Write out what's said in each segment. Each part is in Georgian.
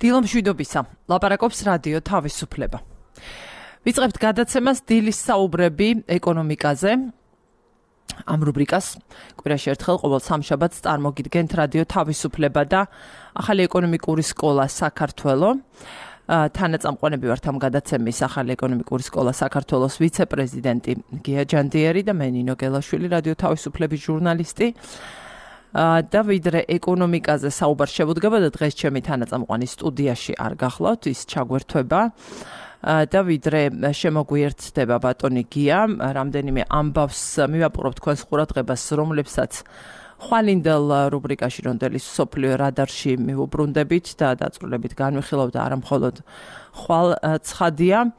დილო მშვიდობისა, ლაპარაკობს რადიო თავისუფლება. ვიწყებთ გადაცემას დილის საუბრები ეკონომიკაზე. ამ რუბრიკას კვირაში ერთხელ ყოველ სამშაბათს წარმოგიდგენთ რადიო თავისუფლება და ახალი ეკონომიკური სკოლა საქართველო. თანაწამყვანები ვართ ამ გადაცემის ახალი ეკონომიკური სკოლა საქართველოს ვიცე-პრეზიდენტი გია ჯანდიერი და მე ნინო გელაშვილი, რადიო თავისუფლების ჟურნალისტი. და ვიდრე ეკონომიკაზე საუბარ შემოდგება და დღეს ჩემი თანაწამყვანი სტუდიაში არ გახლავთ, ის ჩაგვერთვება და ვიდრე შემოგვიერთდება ბატონი გია, რამდენიმე ამბავს მივაპყრობ თქვენს ყურადღებას, რომლებსაც ხვალინდელ რუბრიკაში რონდელის სოფლიო რადარში მივუბრუნდებით და დაწვრილებით განვიხილავთ და არა მხოლოდ ხვალ ცხადია.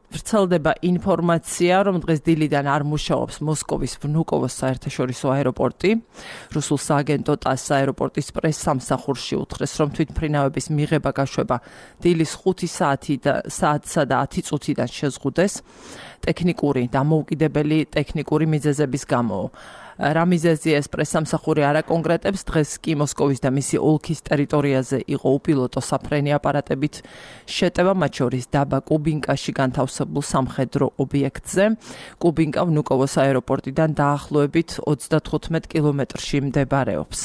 ვრცელდება ინფორმაცია, რომ დღეს დილიდან არ მუშაობს მოსკოვის ვნუკოვოს საერთაშორისო აეროპორტი. რუსულ სააგენტო ტასს აეროპორტის პრეს-სამსახურში უთხრეს, რომ თვითმფრინავების მიღება გაშვება დილის 5 საათსა და 10 წუთიდან შეზღუდეს ტექნიკური დამოუკიდებელი ტექნიკური მიზეზების გამო. რა მიზეზია ეს პრეს-სამსახური არ აკონკრეტებს, დღეს კი მოსკოვის და მისი ოლქის ტერიტორიაზე იყო უპილოტო საფრენი აპარატებით შეტევა, მათ შორის დაბა კუბინკაში განთავსებულ სამხედრო ობიექტზე. კუბინკა ვნუკოვოს აეროპორტიდან დაახლოებით 35 კილომეტრში მდებარეობს.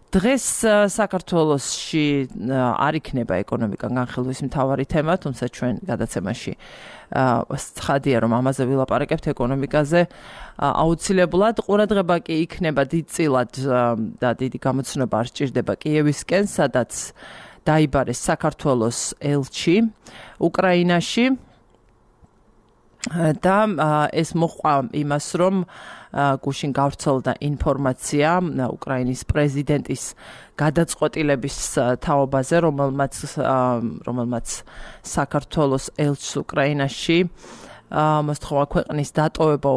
დღეს საქართველოში არ იქნება ეკონომიკა განხილვის მთავარი თემა, თუმცა ჩვენ გადაცემაში ცხადია, რომ ამაზე ვილაპარაკებთ ეკონომიკაზე. აუცილებლად ყურადღება კი იქნება დიდწილად და დიდი გამოცნობა არ სჭირდება კიევისკენ, სადაც დაიბარეს საქართველოს ელჩი უკრაინაში და ეს მოჰყვა იმას, რომ გუშინ გავრცელდა ინფორმაცია უკრაინის პრეზიდენტის გადაწყვეტილების თაობაზე, რომელმაც საქართველოს ელჩს უკრაინაში მოსთხოვა ქვეყნის დატოვება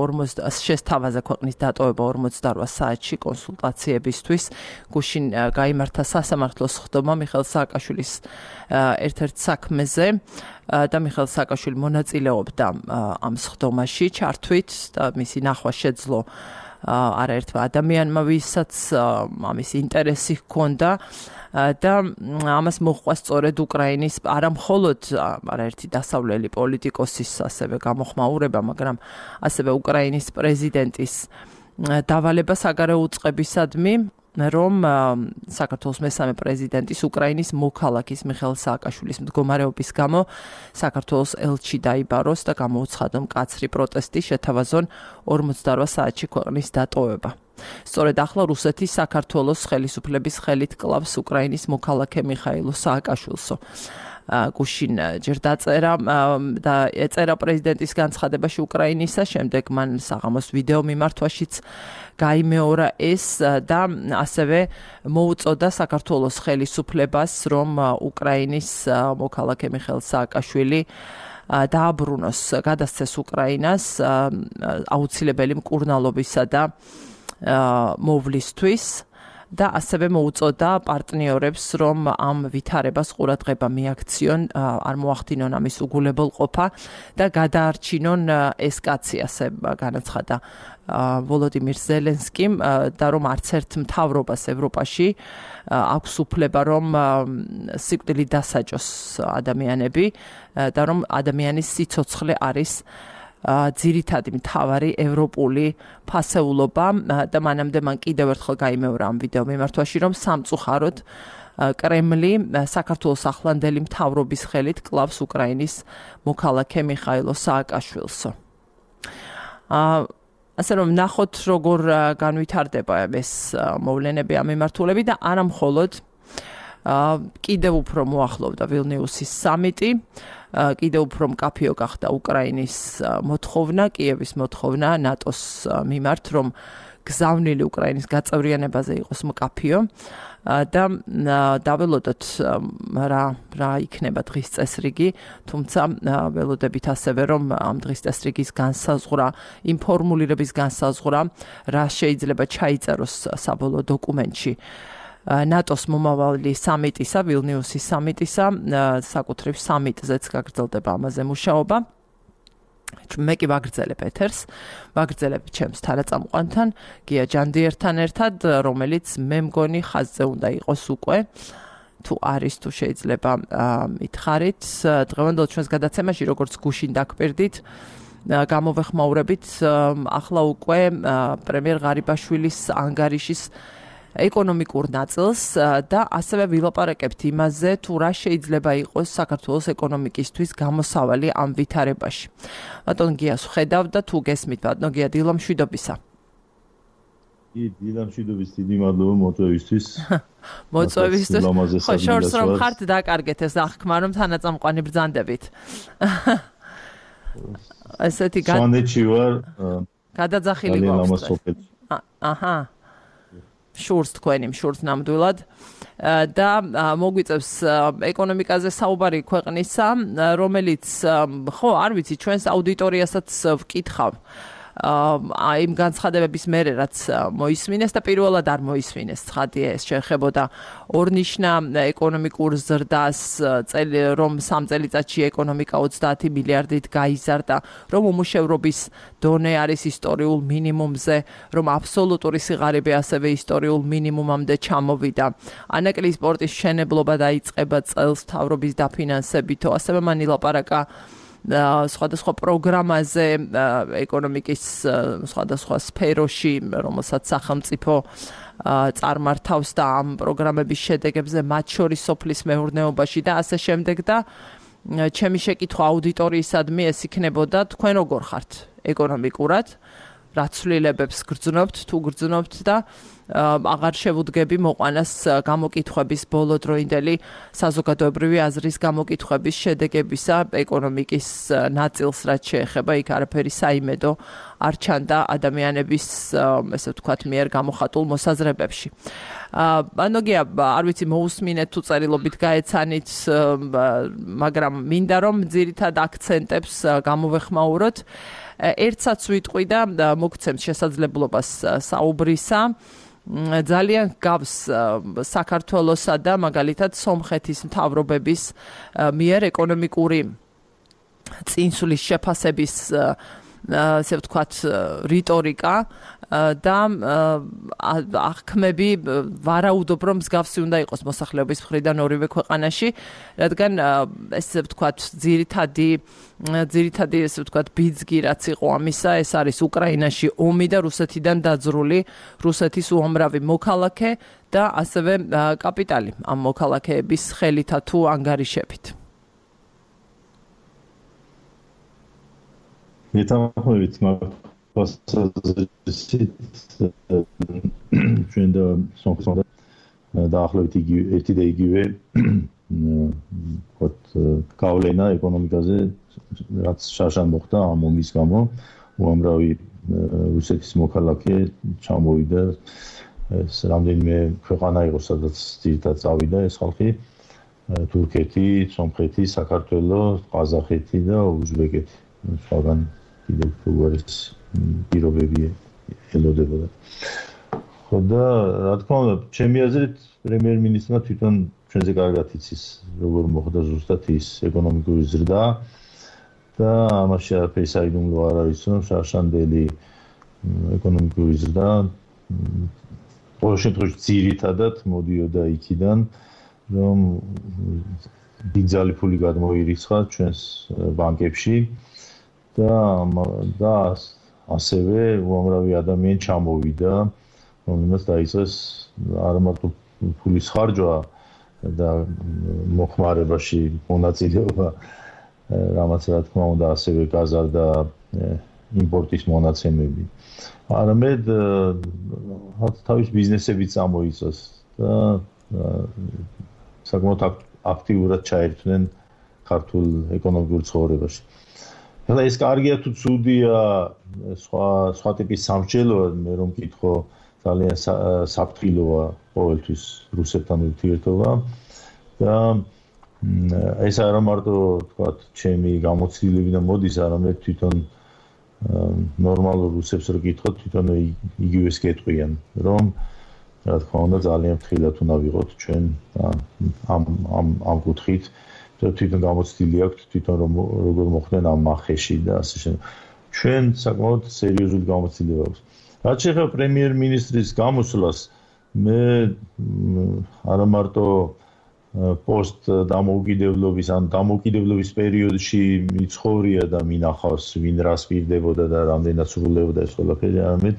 შესთავაზა ქვეყნის დატოვება 48 საათში კონსულტაციებისთვის. გუშინ გაიმართა სასამართლოს ხდომა მიხეილ სააკაშვილის ერთ-ერთ საქმეზე და მიხეილ სააკაშვილი მონაწილეობდა ამ სხდომაში ჩართვით და მისი ნახვა შეძლო არაერთმა ადამიანმა, ვისაც ამის ინტერესი ჰქონდა და ამას მოჰყვა სწორედ უკრაინის არა მხოლოდ არაერთი დასავლელი პოლიტიკოსის ასევე გამოხმაურება, მაგრამ ასევე უკრაინის პრეზიდენტის დავალება საგარეო უწყებისადმი, რომ საქართველოს მესამე პრეზიდენტის უკრაინის მოქალაქის მიხეილ სააკაშვილის მდგომარეობის გამო საქართველოს ელჩი დაიბაროს და გამოუცხადო მკაცრი პროტესტი, შეთავაზონ 48 საათში ქვეყნის დატოვება. სწორედ ახლა რუსეთი საქართველოს ხელისუფლების ხელით კლავს უკრაინის მოქალაქე მიხეილ სააკაშვილსო. გუშინ ჯერ დაწერა და ეწერა პრეზიდენტის განცხადებაში უკრაინისა, შემდეგ მან საღამოს ვიდეო მიმართვაშიც გაიმეორა ეს და ასევე მოუწოდა საქართველოს ხელისუფლებას, რომ უკრაინის მოქალაქე მიხეილ სააკაშვილი დააბრუნოს, გადასცეს უკრაინას აუცილებელი მკურნალობისა და მოვლისთვის და ასევე მოუწოდა პარტნიორებს, რომ ამ ვითარებას ყურადღება მიაქციონ, არ მოახდინონ ამის უგულებელყოფა და გადაარჩინონ ესკაცი, ასე განაცხადა ვოლოდიმირ ზელენსკიმ და რომ არც ერთ მთავრობას ევროპაში აქვს უფლება, რომ სიკვდილით დასაჯოს ადამიანები და რომ ადამიანის სიცოცხლე არის ძირითადი მთავარი ევროპული ფასეულობა და მანამდე მან კიდევ ერთხელ გაიმეორა ამ ვიდეო მიმართვაში, რომ სამწუხაროდ კრემლი საქართველოს ახლანდელი მთავრობის ხელით კლავს უკრაინის მოქალაქე მიხეილ სააკაშვილსო. ასე რომ ნახოთ, როგორ განვითარდება ეს მოვლენები ამ მიმართულებით და არა მხოლოდ კიდევ უფრო მოახლოვდა ვილნიუსის სამიტი, კიდევ უფრო მკაფიო გახდა უკრაინის მოთხოვნა, კიევის მოთხოვნა ნატოს მიმართ, რომ გზავნილი უკრაინის გაწევრიანებაზე იყოს მკაფიო და დაველოდოთ რა იქნება დღის წესრიგი, თუმცა ველოდებით ასევე, რომ ამ დღის წესრიგის განსაზღვრა, იმ ფორმულირების განსაზღვრა, რა შეიძლება ჩაიწეროს საბოლოო დოკუმენტში ნატოს მომავალი სამიტისა, ვილნიუსის სამიტისა, საკუთრივ სამიტზეც გაგრძელდება ამაზე მუშაობა. მე კი ვაგრძელებ ეთერს, ვაგრძელებ ჩემს თანაწამყვანთან, გია ჯანდიერთან ერთად, რომელიც მე მგონი ხაზზე უნდა იყოს უკვე. თუ არის, თუ შეიძლება მითხარით, დღევანდელ ჩვენს გადაცემაში, როგორც გუშინ დაგპირდით, გამოვეხმაურებით ახლა უკვე პრემიერ ღარიბაშვილის ანგარიშის ეკონომიკურ ნაწილს და ასევე ვილაპარაკებთ იმაზე, თუ რა შეიძლება იყოს საქართველოს ეკონომიკისთვის გამოსავალი ამ ვითარებაში. ბატონ გიას ხედავ და თუ გესმით, ბატონ გია, დილა მშვიდობისა. დილა მშვიდობის, დიდი მადლობა მოწვევისთვის. მოწვევისთვის. ხო, შორს რომ ხართ დაკარგეთ ეს აღქმა, რომ თანაწამყვანი ბრძანდებით. ესეთი სვანეთში ვარ. გადაძახილი გვაქვს. აჰა. შურს თქვენი, შურს ნამდვილად და მოგვიწევს ეკონომიკაზე საუბარი ქვეყნისა, რომელიც ხო, არ ვიცი, ჩვენს აუდიტორიასაც ვკითხავ. იმ განცხადებების მერე რაც მოისმინეს და პირველად არ მოისმინეს ცხადია ეს შეეხებოდა ორნიშნა ეკონომიკურ ზრდას რომ 3 წელიწადში ეკონომიკა 30 მილიარდით გაიზარდა რომ უმუშევრობის დონე არის ისტორიულ მინიმუმზე რომ აბსოლუტური სიღარიბე ასევე ისტორიულ მინიმუმამდე ჩამოვიდა ანაკლიის პორტის მშენებლობა დაიწყება წელს მთავრობის დაფინანსებით ასევე მან ილაპარაკა სხვადასხვა პროგრამაზე ეკონომიკის სხვადასხვა სფეროში, რომელსაც სახელმწიფო წარმართავს და ამ პროგრამების შედეგებზე მათ შორის სოფლის მეურნეობაში და ასე შემდეგ და ჩემი შეკითხვა აუდიტორიისადმი ეს იქნებოდა თქვენ როგორ ხართ ეკონომიკურად რა ცვლილებებს გრძნობთ თუ გრძნობთ და აღარ შევუდგები მოყვანას გამოკითხვების ბოლოდროინდელი საზოგადოებრივი აზრის გამოკითხვების შედეგებისა ეკონომიკის ნაწილს რაც შეეხება იქ არაფერი საიმედო არ ჩანდა ადამიანების ესე ვთქვათ მიერ გამოხატულ მოსაზრებებში. ანუ გია არ ვიცი მოусმინეთ თუ წერილობით გაეცანით მაგრამ მინდა რომ ძირითად აქცენტებს გამოვეხმაუროთ ერთსაც ვიტყვი და მოგცემთ შესაძლებლობას საუბრისა ძალიან გავს საქართველოსა და მაგალითად სომხეთის მთავრობების მიერ ეკონომიკური წინსვლის შეფასების ასე ვთქვათ რიტორიკა და აღქმები ვარაუდობ რომ მსგავსი უნდა იყოს მოსახლეობის მხრიდან ორივე ქვეყანაში რადგან ესე ვთქვათ ძირითადი ესე ვთქვათ ბიძგი რაც იყო ამისა ეს არის უკრაინაში ომი და რუსეთიდან დაძრული რუსეთის უამრავი მოქალაქე და ასევე კაპიტალი ამ მოქალაქეების ხელითა თუ ანგარიშებით მეტამორფოზით მაგასით ჩვენ და სომხეთთან დაახლოებით ერთი და იგივე გავლენა ეკონომიკაზე რაც შარშან მოხდა ამ ომის გამო უამრავი რუსეთის მოქალაქე ჩამოვიდა ეს რამდენიმე ქვეყანა იყო სადაც ძირითადად წავიდა ეს ხალხი თურქეთი, სომხეთი, საქართველო, ყაზახეთი და უზბეკეთი სხვაგან კიდევ უღარის პირობები ელოდებოდა. ხო და რა თქმა უნდა, ჩემი აზრით პრემიერ-მინისტრმა თვითონ ჩვენზე კარგად იცის, როგორ მოხდა ზუსტად ის ეკონომიკური ზრდა და ამაში არაფერი საიდუმლო არ არის, რომ შარშანდელი ეკონომიკური ზრდა ყოველ შემთხვევაში ძირითადად მოდიოდა იქიდან, რომ ბიძალი ფული გადმოირიცხა ჩვენს ბანკებში და ასევე უამრავი ადამიანი ჩამოვიდა, რომელმაც დაიწყეს არა მარტო ფულის ხარჯვა და მოხმარებაში მონაწილეობა, რამაც რა თქმა უნდა ასევე გაზარდა იმპორტის მონაცემები. არამედ თავის ბიზნესებიც წამოიწეს და საკმაოდ აქტიურად ჩაერთვნენ ქართულ ეკონომიკურ ცხოვრებაში. ახლა ეს კარგია თუ ცუდია სხვა ტიპის სამრჯელოა მე რომ მკითხო ძალიან საფრთხილოა ყოველთვის რუსეთთან ურთიერთობა და ეს არა მარტო თქვათ ჩემი გამოცდილებიდან მოდის არამედ თვითონ ნორმალურ რუსებს რო გითხოთ თვითონ იგივეს გეტყვიან რომ რა თქმა უნდა ძალიან ფრთხილად უნდა ვიყოთ ჩვენ ამ კუთხით თვითონ გამოცდილი აქვს თვითონ როგორ მოხდნენ ამ მახეში და ასე შემდეგ. ჩვენ საკმაოდ სერიოზული გამოცდილება აქვს. რაც შეეხება პრემიერ-მინისტრის გამოსვლას, მე არა მარტო პოსტ დამოუკიდებლობის ან დამოუკიდებლობის პერიოდში მიცხოვრია და მინახავს ვინ რას პირდებოდა და რამდენად სრულდებოდა ეს ყველაფერი, არამედ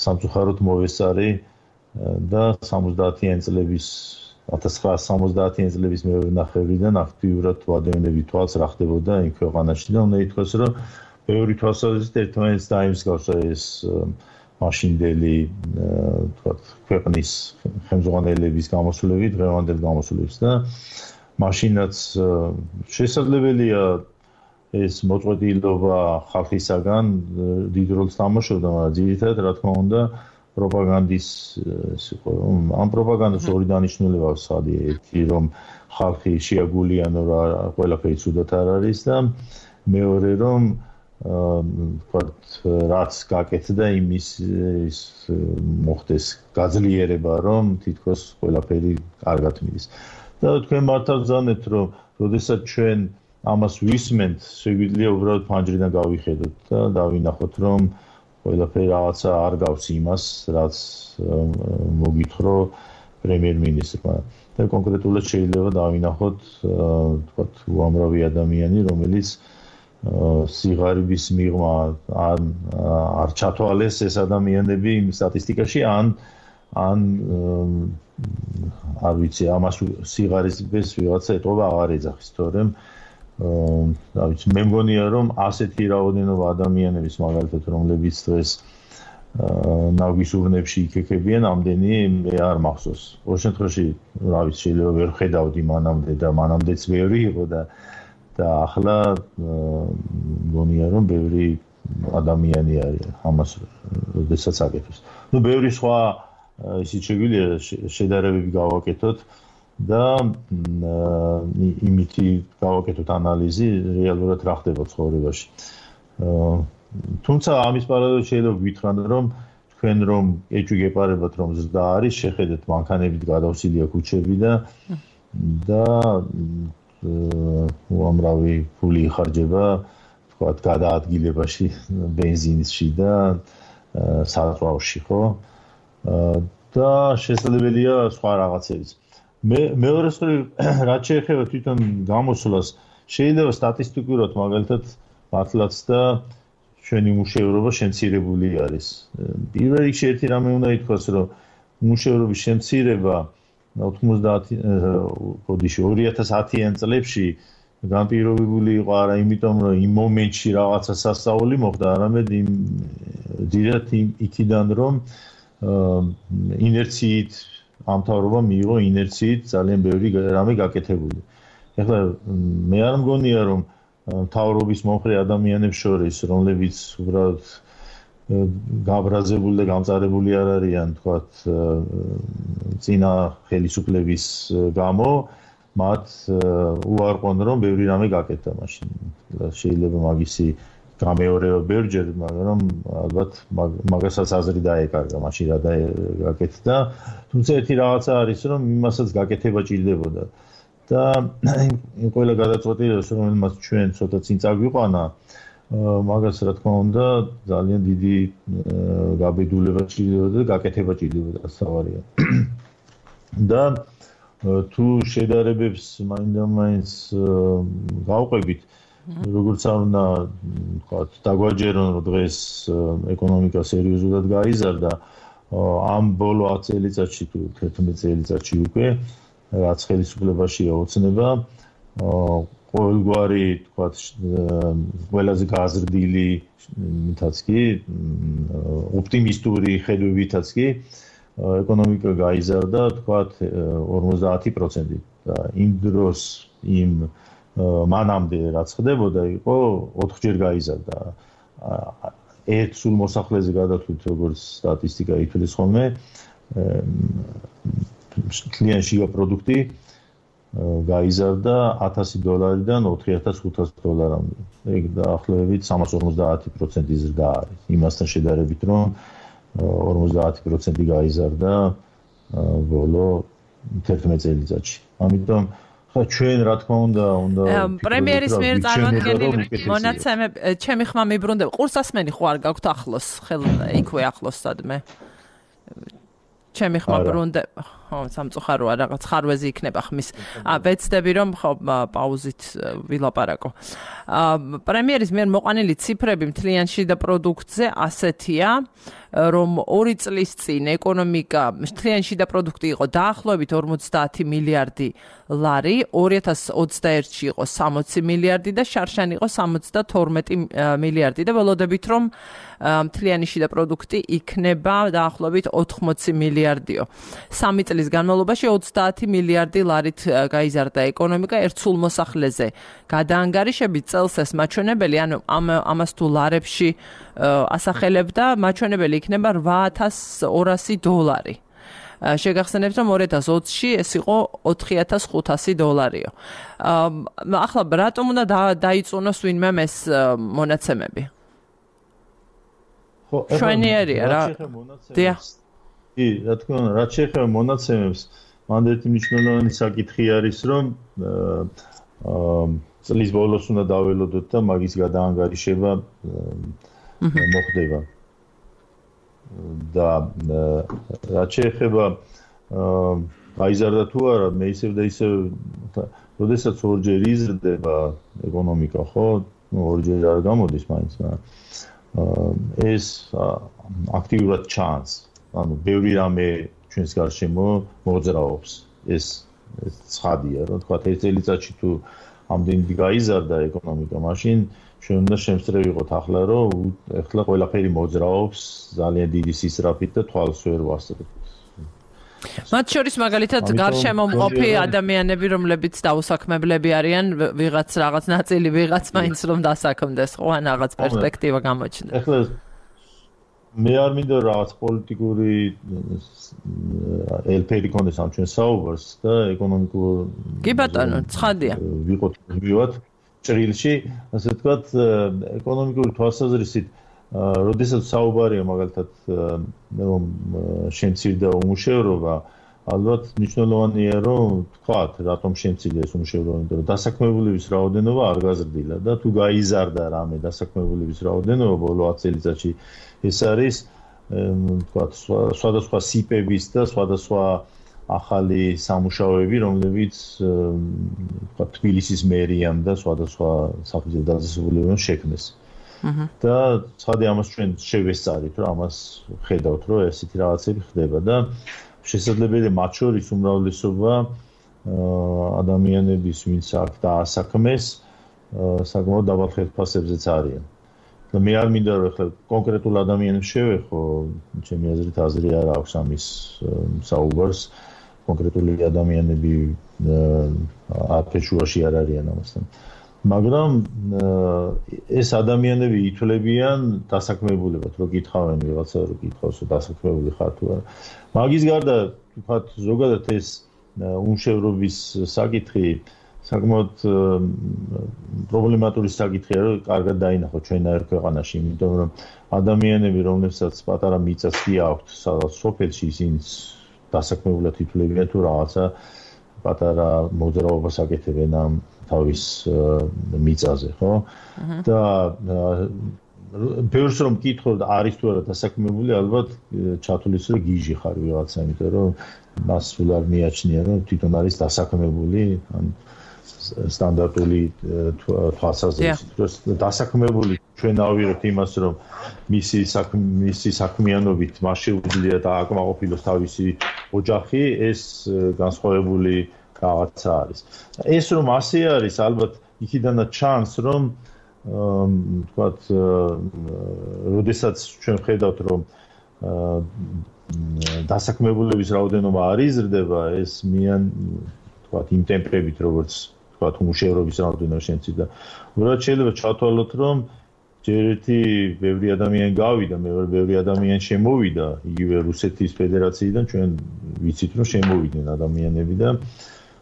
სამწუხაროდ მოვესწარი და 70-იანი წლების 1970-იანი წლების მეორე ნახევრიდან აქტიურად ვადევნები თვალს რა ხდებოდა იმ ქვეყანაში და უნდა ითქვას, რომ ბევრი თვალსაზრისით ერთმანეთს დაიმსგავსა ეს მაშინდელი თქვათ ქვეყნის ხელმძღვანელების გამოსვლები დღევანდელ გამოსვლებს და მაშინაც შესაძლებელია ეს მოწყვეტილობა ხალხისაგან დიდ როლს თამაშობდა, მაგრამ ძირითადად რა თქმა უნდა პროპაგანდის ამ პროპაგანდას ორი დანიშნულება აქვს სადი ერთი რომ ხალხი შეაგულიანო რა ყველაფერი ცუდად არ არის და მეორე რომ თქვათ რაც გაკეთდა იმის მოხდეს გაძლიერება რომ თითქოს ყველაფერი კარგად მიდის და თქვენ მართლა ვზანეთ რომ როდესაც ჩვენ ამას ვისმენთ შეგვიძლია უბრალოდ ფანჯრიდან გავიხედოთ და დავინახოთ რომ ყველაფერი რაღაცა არ გავს იმას რაც მოგითხრა პრემიერ-მინისტრმა და კონკრეტულად შეიძლება დავინახოთ თქვათ უამრავი ადამიანი რომელიც სიღარიბის მიღმა არ ჩათვალეს ეს ადამიანები იმ სტატისტიკაში ან არ ვიცი ამას სიღარიბის ვიღაცა ეტყობა აღარ ეძახის თორემ რა ვიცი მე მგონია რომ ასეთი რაოდენობა ადამიანების მაგალითად რომლებიც დღეს ნავგის ურნებში იქექებიან ამდენი მე არ მახსოვს ორ შემთხვევაში რა ვიცი შეიძლება ვერ ხედავდი მანამდე და მანამდეც ბევრი იყო და ახლა მგონია რომ ბევრი ადამიანი არის ამას როდესაც აკეთებს. ნუ ბევრი სხვა ისიც შეგვიძლია შედარებები გავაკეთოთ და იმითი გავაკეთოთ ანალიზი რეალურად რა ხდება ცხოვრებაში. თუმცა ამის პარალელურად შეიძლება გითხრათ რომ თქვენ რომ ეჭვი გეპარებათ რომ ზრდა არის შეხედეთ მანქანებით გადავსილია ქუჩები და უამრავი ფული იხარჯება თქვათ გადაადგილებაში ბენზინში და საწვავში ხო და შესაძლებელია სხვა რაღაცებიც მეორე მხრივ რაც შეეხება თვითონ გამოსვლას შეიძლება სტატისტიკურად მაგალითად მართლაც და ჩვენი მუშევრობა შემცირებული არის პირველ რიგში ერთი რამე უნდა ითქვას რომ მუშევრობის შემცირება 2010-იან წლებში განპირობებული იყო არა იმიტომ რომ იმ მომენტში რაღაცა სასწაული მოხდა არამედ ძირითადად იქიდან რომ ინერციით ამთავრობა მიიღო ინერციით ძალიან ბევრი რამე გაკეთებული. ეხლა მე არ მგონია რომ მთავრობის მომხრე ადამიანებს შორის რომლებიც უბრალოდ გაბრაზებული და გამწარებული არ არიან თქვათ წინა ხელისუფლების გამო მათ უარყონ რომ ბევრი რამე გაკეთდა მაშინ შეიძლება მაგისი გამეორება ბევრჯერ მაგრამ ალბათ მაგასაც აზრი დაეკარგა მაშინ რა გაკეთდა თუმცა ერთი რაღაცა არის რომ იმასაც გაკეთება ჭირდებოდა და იმ ყველა გადაწყვეტილებას რომელმაც ჩვენ ცოტა წინ წაგვიყვანა მაგას რა თქმა უნდა ძალიან დიდი გაბედულება ჭირდებოდა და გაკეთება ჭირდებოდა სავარია და თუ შედარებებს მაინდა-მაინც გავყვებით როგორც არ უნდა ვთქვათ დაგვაჯერონ რომ დღეს ეკონომიკა სერიოზულად გაიზარდა ამ ბოლო 10 წელიწადში თუ 11 წელიწადში უკვე რაც ხელისუფლებაშია ოცნება ყოველგვარი თქვათ ყველაზე გაზრდილი მითაც კი ოპტიმისტური ხედვებითაც კი ეკონომიკა გაიზარდა თქვათ 50% და იმ დროს იმ მანამდე რაც ხდებოდა იყო 4-ჯერ გაიზარდა ერთ სულ მოსახლეზე გადათვლით როგორც სტატისტიკა ითვლის ხოლმე კლიანში პროდუქტი გაიზარდა $1000-დან $4500-მდე. ეგ დაახლოებით 350% ზრდა არის. იმასთან შედარებით რომ 50% გაიზარდა ბოლო 11 წელიწადში. ამიტომ ხა ჩვენ რა თქმა უნდა პრემიერის მიერ წარმოქმნილი მონაცემები ჩემი ხმა მიბრუნდება. ყურსასმენი ხო არ გაქვთ ახლოს, იქვე ახლოს სადმე. ჩემი ხმა ბრუნდება. ხო, სამწუხაროა რაღაც ხარვეზი იქნება ხმის. ვეცდები რომ ხო პაუზით ვილაპარაკო. პრემიერის მიერ მოყვანილი ციფრები მთლიან შიდა პროდუქტზე ასეთია, რომ 2 წლის წინ ეკონომიკა მთლიან შიდა პროდუქტი იყო დაახლოებით 50 მილიარდი ლარი, 2021-ში იყო 60 მილიარდი და შარშან იყო 72 მილიარდი და ველოდებით რომ მთლიანი შიდა პროდუქტი იქნება დაახლოებით 80 მილიარდიო. 3 წლის განმავლობაში 30 მილიარდი ლარით გაიზარდა ეკონომიკა ერთ სულ მოსახლეზე. გადაანგარიშებით წელს ეს მაჩვენებელი, ანუ ამას თუ ლარებში ასახელებდა, მაჩვენებელი იქნება $8,200. შეგახსენებთ, რომ 2020-ში ეს იყო $4,500. ახლა რატომ უნდა დაიწუნოს ვინმე ეს მონაცემები? ხო, შვენიერია რა. დიახ. კი, რა თქმა უნდა, რაც შეეხება მონაცემებს, მანდ ერთი მნიშვნელოვანი საკითხი არის, რომ წლის ბოლოს უნდა დაველოდოთ და მაგის გადაანგარიშება მოხდება. და რაც შეეხება გაიზარდა თუ არა, მე ისევ და ისევ, როდესაც ორჯერ იზრდება ეკონომიკა, ხო, ორჯერ არ გამოდის მაინც, მაგრამ ეს აქტიურად ჩანს. ანუ ბევრი რამე ჩვენს გარშემო მოძრაობს. ეს ცხადია, რომ თქვა ეს წელიწადში თუ ამდენი გაიზარდა ეკონომიკა, მაშინ ჩვენ უნდა შემსწრე ვიყოთ ახლა, რომ ეხლა ყველაფერი მოძრაობს ძალიან დიდი სისწრაფით და თვალს ვერ ვასწრებთ. მათ შორის მაგალითად გარშემო მყოფი ადამიანები, რომლებიც დაუსაქმებლები არიან, ვიღაც რაღაც ნაწილი ვიღაც მაინც რომ დასაქმდეს, ხო, ან რაღაც პერსპექტივა გამოჩნდეს. ეხლა მე არ მინდა რაღაც პოლიტიკური ელფერი კონდეს ამ ჩვენ საუბარს და ეკონომიკურ კი ბატონო, ცხადია. ვიყოთ მივივათ ჭრილში, ასე ვთქვათ, ეკონომიკური თვალსაზრისით, როდესაც საუბარია მაგალითად რომ შემცირდა უმუშევრობა, ალბათ მნიშვნელოვანია რომ თქვათ, რატომ შემცირდა ეს უმუშევრობა, იმიტომ რომ დასაქმებულების რაოდენობა არ გაზრდილა და თუ გაიზარდა რამე დასაქმებულების რაოდენობა ბოლო 10 წელიწადში, ეს არის თქვათ სხვადასხვა სიპების და სხვადასხვა ახალი სამუშაოები, რომლებიც თქვათ თბილისის მერიამ და სხვადასხვა საფუძველ დაწესებულებამ შექმნეს. და ცხადია ამას ჩვენ შევესწარით, რომ ამას ხედავთ, რომ ესეთი რაღაცები ხდება და შესაძლებელია მათ შორის უმრავლესობა ადამიანების, ვინც აქ დაასაქმეს, საკმაოდ დაბალ ხელფასებზეც არიან. და მე არ მინდა რომ ახლა კონკრეტულ ადამიანებს შევეხო, ჩემი აზრით აზრი არ აქვს ამის საუბარს. კონკრეტული ადამიანები აფეშუაში არ არიან ამასთან. მაგრამ ეს ადამიანები ითვლებიან დასაქმებულებად, რო გითხავენ ვიღაცა, რო გითხავს, რომ დასაქმებული ხარ თუ არა. მაგის გარდა, ვთქვათ, ზოგადად ეს უმშევრობის საკითხი საკმაოდ პრობლემატური საკითხია, რომ კარგად დაინახოთ ჩვენაერ ქვეყანაში, იმიტომ რომ ადამიანები, რომლებსაც პატარა მიწაც კი აქვთ, სადაც სოფელში ისინი დასაქმებულად ითვლებიან თუ რაღაცა პატარა მოძრაობას აკეთებენ ამ თავის მიწაზე, ხო? და ბევრს რომ მკითხო და არის თუ არა დასაქმებული, ალბათ ჩათulis რომ გიჟი ხარ ვიღაცა, იმიტომ რომ მას სულ არ მიაჩნია, რომ თვითონ არის დასაქმებული, ან სტანდარტული თვალსაზრისით, რომ დასაქმებული ჩვენ ავიღებთ იმას, რომ მისი საქმიანობით მას შეუძლია დააკმაყოფილოს თავისი ოჯახი, ეს განსხვავებული რაღაცა არის. ეს რომ ასე არის, ალბათ იქიდანაც ჩანს, რომ თქვათ, როდესაც ჩვენ ხედავთ, რომ დასაქმებულების რაოდენობა არ იზრდება, ეს თქვათ, იმ ტემპებით, როგორც თქვათ, უმუშევრობის რაოდენობა შემცირდა. უბრალოდ შეიძლება ჩავთვალოთ, რომ ჯერ ერთი ბევრი ადამიანი გავიდა, მეორე ბევრი ადამიანი შემოვიდა, იგივე რუსეთის ფედერაციიდან ჩვენ ვიცით, რომ შემოვიდნენ ადამიანები და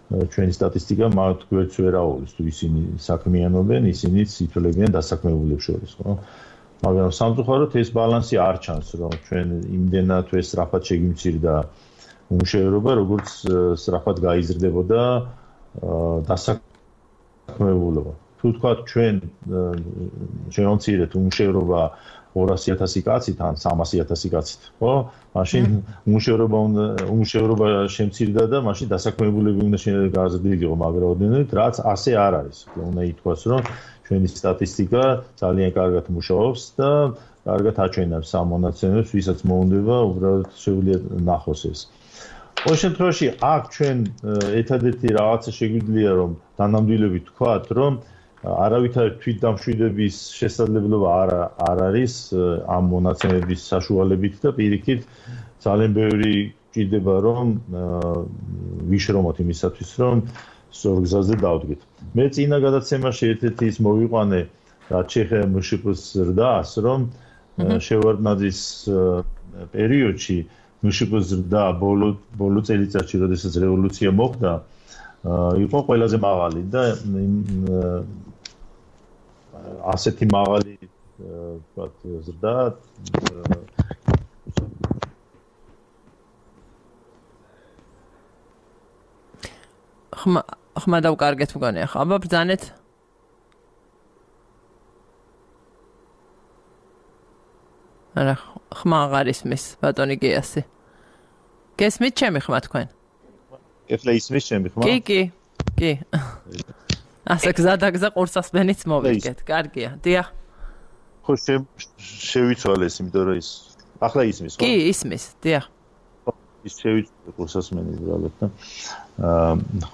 ჩვენი სტატისტიკა მათ გვერდს ვერ აუვლის, თუ ისინი საქმიანობენ, ისინიც ითვლებიან დასაქმებულებს შორის, ხო? მაგრამ სამწუხაროდ ეს ბალანსი არ ჩანს, რომ ჩვენ იმდენად სწრაფად შეგიმცირდა უმუშევრობა, როგორც სწრაფად გაიზრდებოდა დასაქმებულობა. თუ თქვა ჩვენ შევამცირეთ უმუშევრობა 200,000 კაცით ან 300,000 კაცით, ხო? მაშინ უმუშევრობა შემცირდა და მაშინ დასაქმებულები უნდა გაზრდილიყო მაგრაოდენობით, რაც ასე არ არის. უნდა ითქვას, რომ ჩვენი სტატისტიკა ძალიან კარგად მუშაობს და კარგად აჩვენებს ამ მონაცემებს, ვისაც მოუნდება, უბრალოდ შეუძლია ნახოს ეს. ყოველ შემთხვევაში, აქ ჩვენ ერთადერთი რაღაცა შეგვიძლია, რომ დანამდვილებით ვთქვათ, რომ არავითარი თვითდამშვიდების შესაძლებლობა არ არის ამ მონაცემების საშუალებით და პირიქით ძალიან ბევრი ჭირდება, რომ ვიშრომოთ იმისათვის, რომ სწორ გზაზე დავდგეთ. მე წინა გადაცემაში ერთ-ერთი ის მოვიყვანე, რაც შეეხება მშპ-ს ზრდას, რომ შევარდნაძის პერიოდში მშპ-ს ზრდა ბოლო წელიწადში, როდესაც რევოლუცია მოხდა, იყო ყველაზე მაღალი და ასეთი მაღალი ვთქვათ ზრდა ხმა დავკარგეთ მგონი ახლა აბა ბრძანეთ არა ხმა აღარ ისმის ბატონი გიასი გესმით ჩემი ხმა თქვენ ეხლა ისმის ჩემი ხმა კი ასე გზადაგზა ყურსასმენიც მოვიგეთ კარგია დიახ ხო შევიცვალეს იმიტომ რომ ის ახლა ისმის ხო კი ისმის დიახ ის შევიცვალე ყურსასმენი უბრალოდ და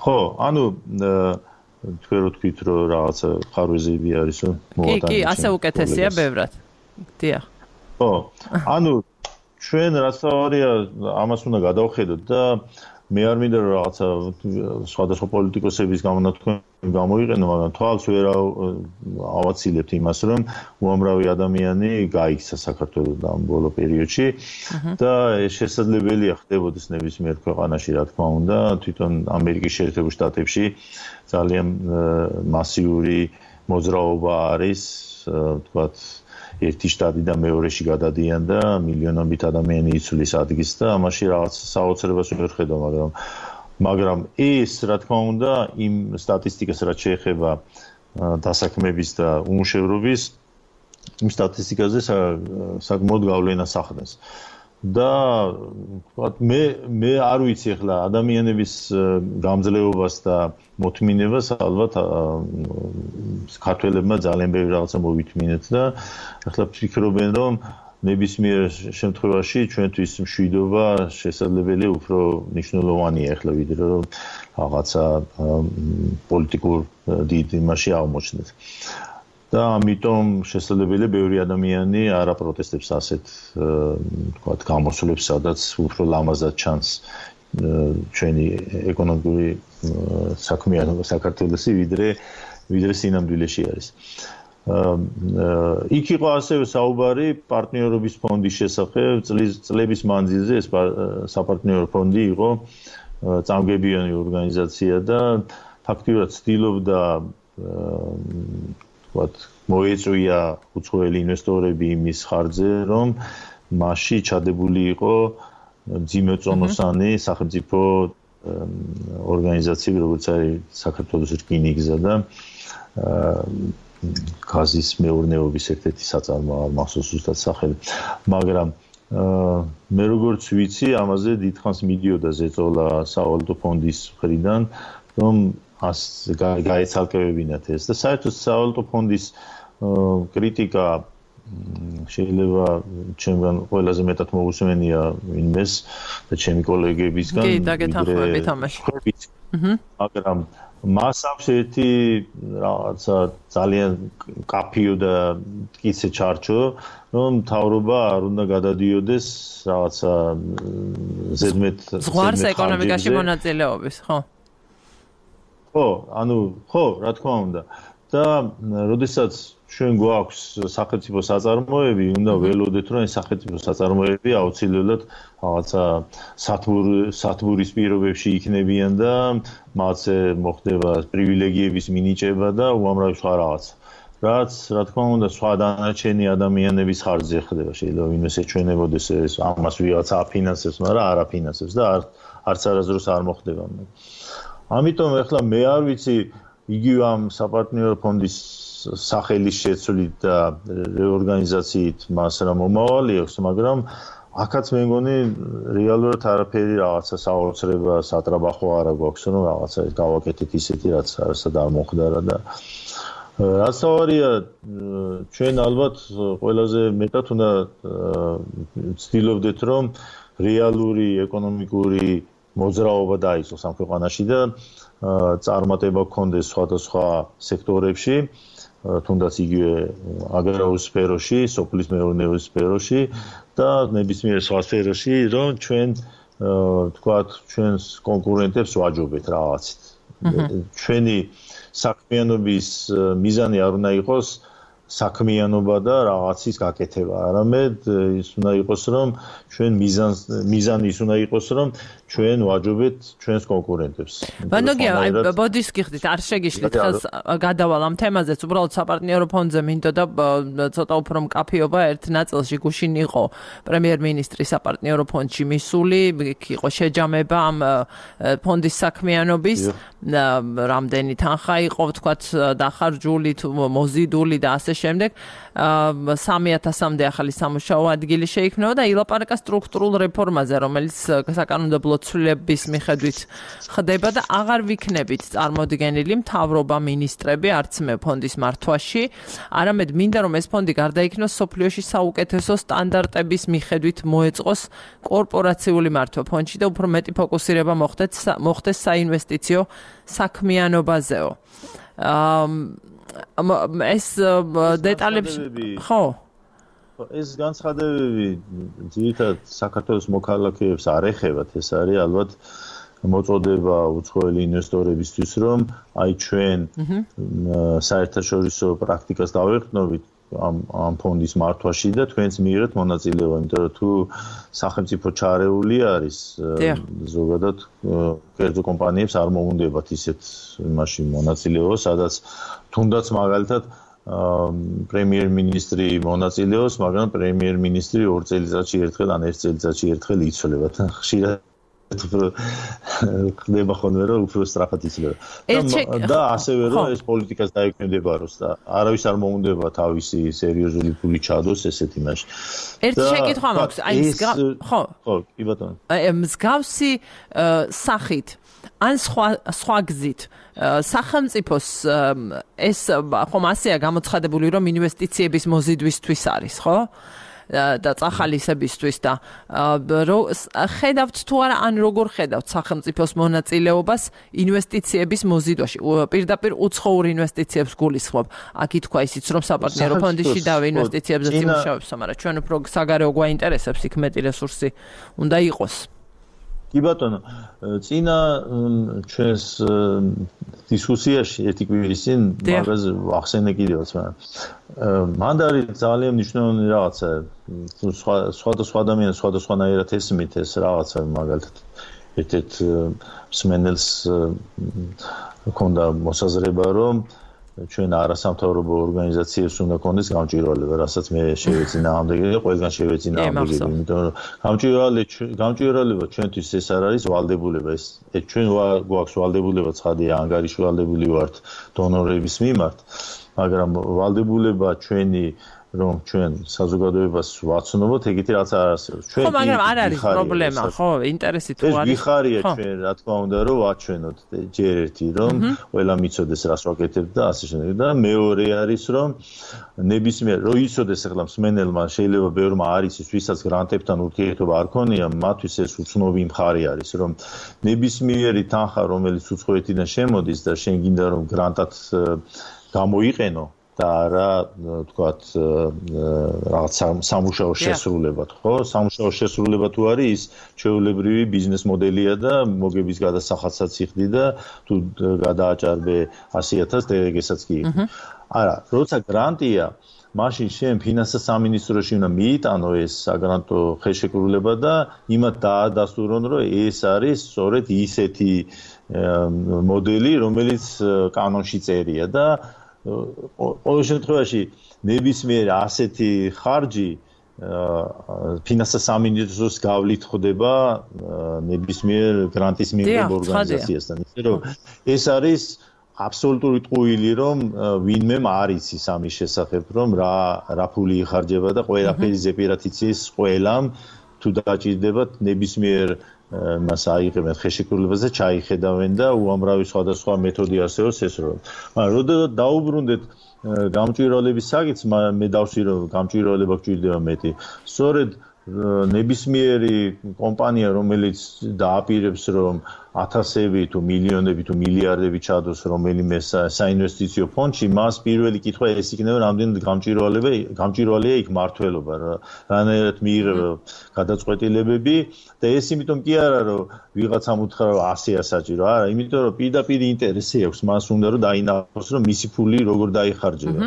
ხო ანუ თქვენ რო თქვით რომ რაღაცა ხარვეზები არის რომ მოვატანე კი ასე უკეთესია ბევრად დიახ ხო ანუ ჩვენ რაც თავარია ამას უნდა გადავხედოთ და მე არ მინდა რომ რაღაცა სხვადასხვა პოლიტიკოსების გამონათქვამი გამოიყენო, მაგრამ თვალს ვერ ავაცილებთ იმას, რომ უამრავი ადამიანი გაიქცა საქართველოს ამ ბოლო პერიოდში და ეს შესაძლებელია ხდებოდეს ნებისმიერ ქვეყანაში, რა თქმა უნდა, თვითონ ამერიკის შეერთებულ შტატებში ძალიან მასიური მოძრაობა არის, ვთქვათ, ერთი შტატი და მეორეში გადადიან და მილიონობით ადამიანი იცვლის ადგილს და ამაში რაღაც საოცრებას ვერ ხედავ, მაგრამ ეს რა თქმა უნდა იმ სტატისტიკას რაც შეეხება დასაქმების და უმუშევრობის იმ სტატისტიკაზე საკმაოდ გავლენას ახდენს. და ვთქვათ მე არ ვიცი ახლა ადამიანების გამძლეობას და მოთმინებას ალბათ ქართველებმა ძალიან ბევრი რაღაცა მოვითმინეთ და ახლა ფიქრობენ რომ ნებისმიერ შემთხვევაში ჩვენთვის მშვიდობა შესაძლებელია უფრო მნიშვნელოვანია ახლა ვიდრე რომ რაღაცა პოლიტიკურ დიდ იმაში აღმოჩნდეთ. და ამიტომ შესაძლებელია ბევრი ადამიანი არ აპროტესტებს ასეთ ვთქვათ გამოსვლებს, სადაც უფრო ლამაზად ჩანს ჩვენი ეკონომიკური საქმიანობა საქართველოსი ვიდრე სინამდვილეში არის. იქ იყო ასევე საუბარი პარტნიორობის ფონდის შესახებ, წლების მანძილზე ეს საპარტნიორო ფონდი იყო წამგებიანი ორგანიზაცია და ფაქტიურად ცდილობდა მოეწვია უცხოელი ინვესტორები იმის ხარჯზე, რომ მასში ჩადებული იყო ძიმეწონოსანი სახელმწიფო ორგანიზაციები, როგორც არის საქართველოს რკინიგზა და გაზის მეურნეობის ერთ-ერთი საწარმოო მახსოვს ზუსტად სახელი. მაგრამ მე როგორც ვიცი, ამაზე დიდხანს მიდიოდა ზეწოლა სავალუტო ფონდის მხრიდან, რომ გაეცალკევებინათ ეს და საერთოდ სავალუტო ფონდის კრიტიკა შეიძლება ჩემგან ყველაზე მეტად მოусმენია ვინმეს და ჩემი კოლეგებისგან კი დაგეთანხმებით ამაში მაგრამ მას აქვს ერთი რაღაცა ძალიან კაფიო და მტკიცე ჩარჩო რომ მთავრობა არ უნდა გადადიოდეს რაღაცა ზედმეტ ზღვარს ეკონომიკაში მონაწილეობის ხო ხო, რა თქმა უნდა. და როდესაც ჩვენ გვაქვს სახელმწიფო საწარმოები, უნდა ველოდეთ, რომ ეს სახელმწიფო საწარმოები აუცილებლად რაღაცა სათბურის პირობებში იქნებიან და მათზე მოხდება პრივილეგიების მინიჭება და უამრავი სხვა რაღაც. რაც, რა თქმა უნდა, სხვა დანარჩენი ადამიანების ხარჯზე ხდება. შეიძლება ვინმეს ეჩვენებოდეს ეს ამას ვიღაცა აფინანსებს, მაგრამ არ აფინანსებს და არც არასდროს არ მოხდება. ამიტომ ახლა მე არ ვიცი იგივე ამ საპარტნიორო ფონდის სახელის შეცვლით და რეორგანიზაციით მას რა მომავალი აქვს, მაგრამ აქაც მე მგონი რეალურად არაფერი რაღაცა საოცრება, სატრაბახო არა გვაქვს, რომ რაღაცა გავაკეთეთ ისეთი რაც არასად არ მომხდარა და რაც თავარია ჩვენ ალბათ ყველაზე მეტად უნდა ვცდილობდეთ რომ რეალური ეკონომიკური მოძრაობა დაიწყოს ამ ქვეყანაში და წარმატება გქონდეს სხვადასხვა სექტორებში, თუნდაც იგივე აგრარულ სფეროში, სოფლის მეურნეობის სფეროში და ნებისმიერ სხვა სფეროში, რომ ჩვენ თქვათ ჩვენს კონკურენტებს ვაჯობეთ რაღაცით. ჩვენი საქმიანობის მიზანი არ უნდა იყოს საქმიანობა და რაღაცის გაკეთება, არამედ ის უნდა იყოს, რომ ჩვენ მიზანი ის უნდა იყოს, რომ ჩვენ ვაჯობეთ ჩვენს კონკურენტებს. ბანოგია, ბოდის გიხდით, არ შეგიშლით ხელს გადავალ ამ თემაზეც, უბრალოდ საპარტნიორო ფონდზე მინდოდა ცოტა უფრო მკაფიობა ერთ ნაწილში გუშინ იყო პრემიერ-მინისტრის საპარტნიორო ფონდში მისული, იყო შეჯამება ამ ფონდის საქმიანობის, რამდენი თანხა იყო, ვთქვათ, დახარჯული, მოზიდული და ასე შემდეგ 3,000-მდე ახალი სამუშაო ადგილი შეიქმნება და ილაპარაკა სტრუქტურულ რეფორმაზე, რომელიც საკანონმდებლო ცვლილების მიხედვით ხდება და აღარ ვიქნებით წარმოდგენილი მთავრობა, მინისტრები, არც მე ფონდის მართვაში, არამედ მინდა რომ ეს ფონდი გარდაიქმნოს სოფლიოში საუკეთესო სტანდარტების მიხედვით მოეწყოს კორპორაციული მართვა ფონდში და უფრო მეტი ფოკუსირება მოხდეს საინვესტიციო საქმიანობაზეო. ეს დეტალებში ხო ეს განცხადებები ძირითადად საქართველოს მოქალაქეებს არ ეხებათ, ეს არის ალბათ მოწოდება უცხოელი ინვესტორებისთვის, რომ აი ჩვენ საერთაშორისო პრაქტიკას დავეყრდნობით ამ ფონდის მართვაში და თქვენს მიიღეთ მონაწილეობა, იმიტომ რომ თუ სახელმწიფო ჩარეული არის ზოგადად კერძო კომპანიებს არ მოუნდებათ ისეთ იმაში მონაწილეობა, სადაც თუნდაც მაგალითად პრემიერ-მინისტრი მონაწილეობს, მაგრამ პრემიერ-მინისტრი 2 წელიწადში ერთხელ ან 1 წელიწადში ერთხელ იცვლება და ხშირად ხდება ხოლმე რომ უფრო სწრაფად იცვლება. და ასევე რომ ეს პოლიტიკას დაეკვემდებაროს და არავის არ მოუნდება თავისი სერიოზული ფული ჩადოს ესეთ იმაში. ერთი შეკითხვა მაქვს, აი ხო, კი ბატონო. მსგავსი სახით ან სხვა გზით სახელმწიფოს ეს ხომ ასეა გამოცხადებული რომ ინვესტიციების მოზიდვისთვის არის, ხო? და წახალისებისთვის და ხედავთ თუ არა ან როგორ ხედავთ სახელმწიფოს მონაწილეობას ინვესტიციების მოზიდვაში პირდაპირ უცხოურ ინვესტიციებს გულისხმობ აქ ითქვა ისიც რომ საპარტნიორო ფონდში და ინვესტიციებზე იმუშავებს მაგრამ ჩვენ უფრო საგარეო გვაინტერესებს იქ მეტი რესურსი უნდა იყოს კი ბატონო წინა ჩვენს დისკუსიაში ერთი კვირის წინ მაგაზე ახსენე კიდევაც მაგრამ მანდ არის ძალიან მნიშვნელოვანი რაღაცა სხვადასხვა ადამიანს სხვადასხვანაირად ესმით ეს რაღაცა მაგალითად ერთ-ერთ მსმენელს ჰქონდა მოსაზრება რომ ჩვენ არასამთავრობო ორგანიზაციებს უნდა ქონდეს გამჭვირვალება, რასაც მე შევეცინა ამდენი და ყველგან შევეცინა ამდენი, იმიტომ რომ გამჭვირვალება ჩვენთვის ეს არ არის ვალდებულება, ეს ჩვენ გვაქვს ვალდებულება, ცხადია, ანგარიში ვალდებული ვართ დონორების მიმართ, მაგრამ ვალდებულება ჩვენი რომ ჩვენ საზოგადოებას ვაცნობოთ, ეგეთი რაც არ არსებობს. ხო, მაგრამ არ არის პრობლემა, ხო, ინტერესი თუ არის. ეს გიხარია ჩვენ, რა თქმა უნდა, რომ ვაჩვენოთ ჯერ ერთი, რომ ყველა მიცოდეს რას ვაკეთებ და ასე შემდეგ. და მეორე არის, რომ ნებისმიერ რო იცოდეს ახლა მსმენელმა შეიძლება ბევრმა არ იცის, ვისაც გრანტებთან ურთიერთობა არ ქონია, მათთვის ეს უცნობი მხარე არის, რომ ნებისმიერი თანხა, რომელიც უცხოეთიდან შემოდის და შენ გინდა რომ გრანტად გამოიყენო და არა თქვათ რაღაც სამუშაო შესრულებად, ხო? სამუშაო შესრულება თუ არის ის ჩვეულებრივი ბიზნეს მოდელია და მოგების გადასახადსაც იხდი და თუ გადააჭარბე 100,000 დერეგესაც კი იხდი. არა, როცა გრანტია, მაშინ შენ ფინანსთა სამინისტროში უნდა მიიტანო ეს საგრანტო ხელშეკრულება და იმათ დაადასტურონ, რომ ეს არის სწორედ ისეთი მოდელი, რომელიც კანონში წერია და ყოველ შემთხვევაში ნებისმიერ ასეთი ხარჯი ფინანსთა სამინისტროს გავლით ხდება ნებისმიერ გრანტის მიღებ ორგანიზაციასთან. ისე რომ ეს არის აბსოლუტური ტყუილი, რომ ვინმე არ იცის ამის შესახებ, რომ რა ფული იხარჯება და ყველაფერი ზეპირად იცის ყველამ, თუ დაჭირდებათ ნებისმიერ მას აიღებენ ხელშეკრულებაზე, ჩაიხედავენ და უამრავი სხვადასხვა მეთოდი არსებობს ეს რომ. მაგრამ როდესაც დაუბრუნდეთ გამჭვირვალების საკითხს, მე დავსვი რომ გამჭვირვალება გვჭირდება მეტი. სწორედ ნებისმიერი კომპანია, რომელიც დააპირებს რომ ათასები თუ მილიონები თუ მილიარდები ჩადოს რომელიმე საინვესტიციო ფონდში, მას პირველი კითხვა ეს იქნება, რამდენი გამჭვირვალეა იქ მმართველობა, რანაირად მიიღება გადაწყვეტილებები და ეს იმიტომ კი არა, რომ ვიღაცამ უთხრა რომ 100-ია საჭირო, არა, იმიტომ რომ პირდაპირ ინტერესი აქვს მას უნდა რომ დაინახოს, რომ მისი ფული როგორ დაიხარჯება.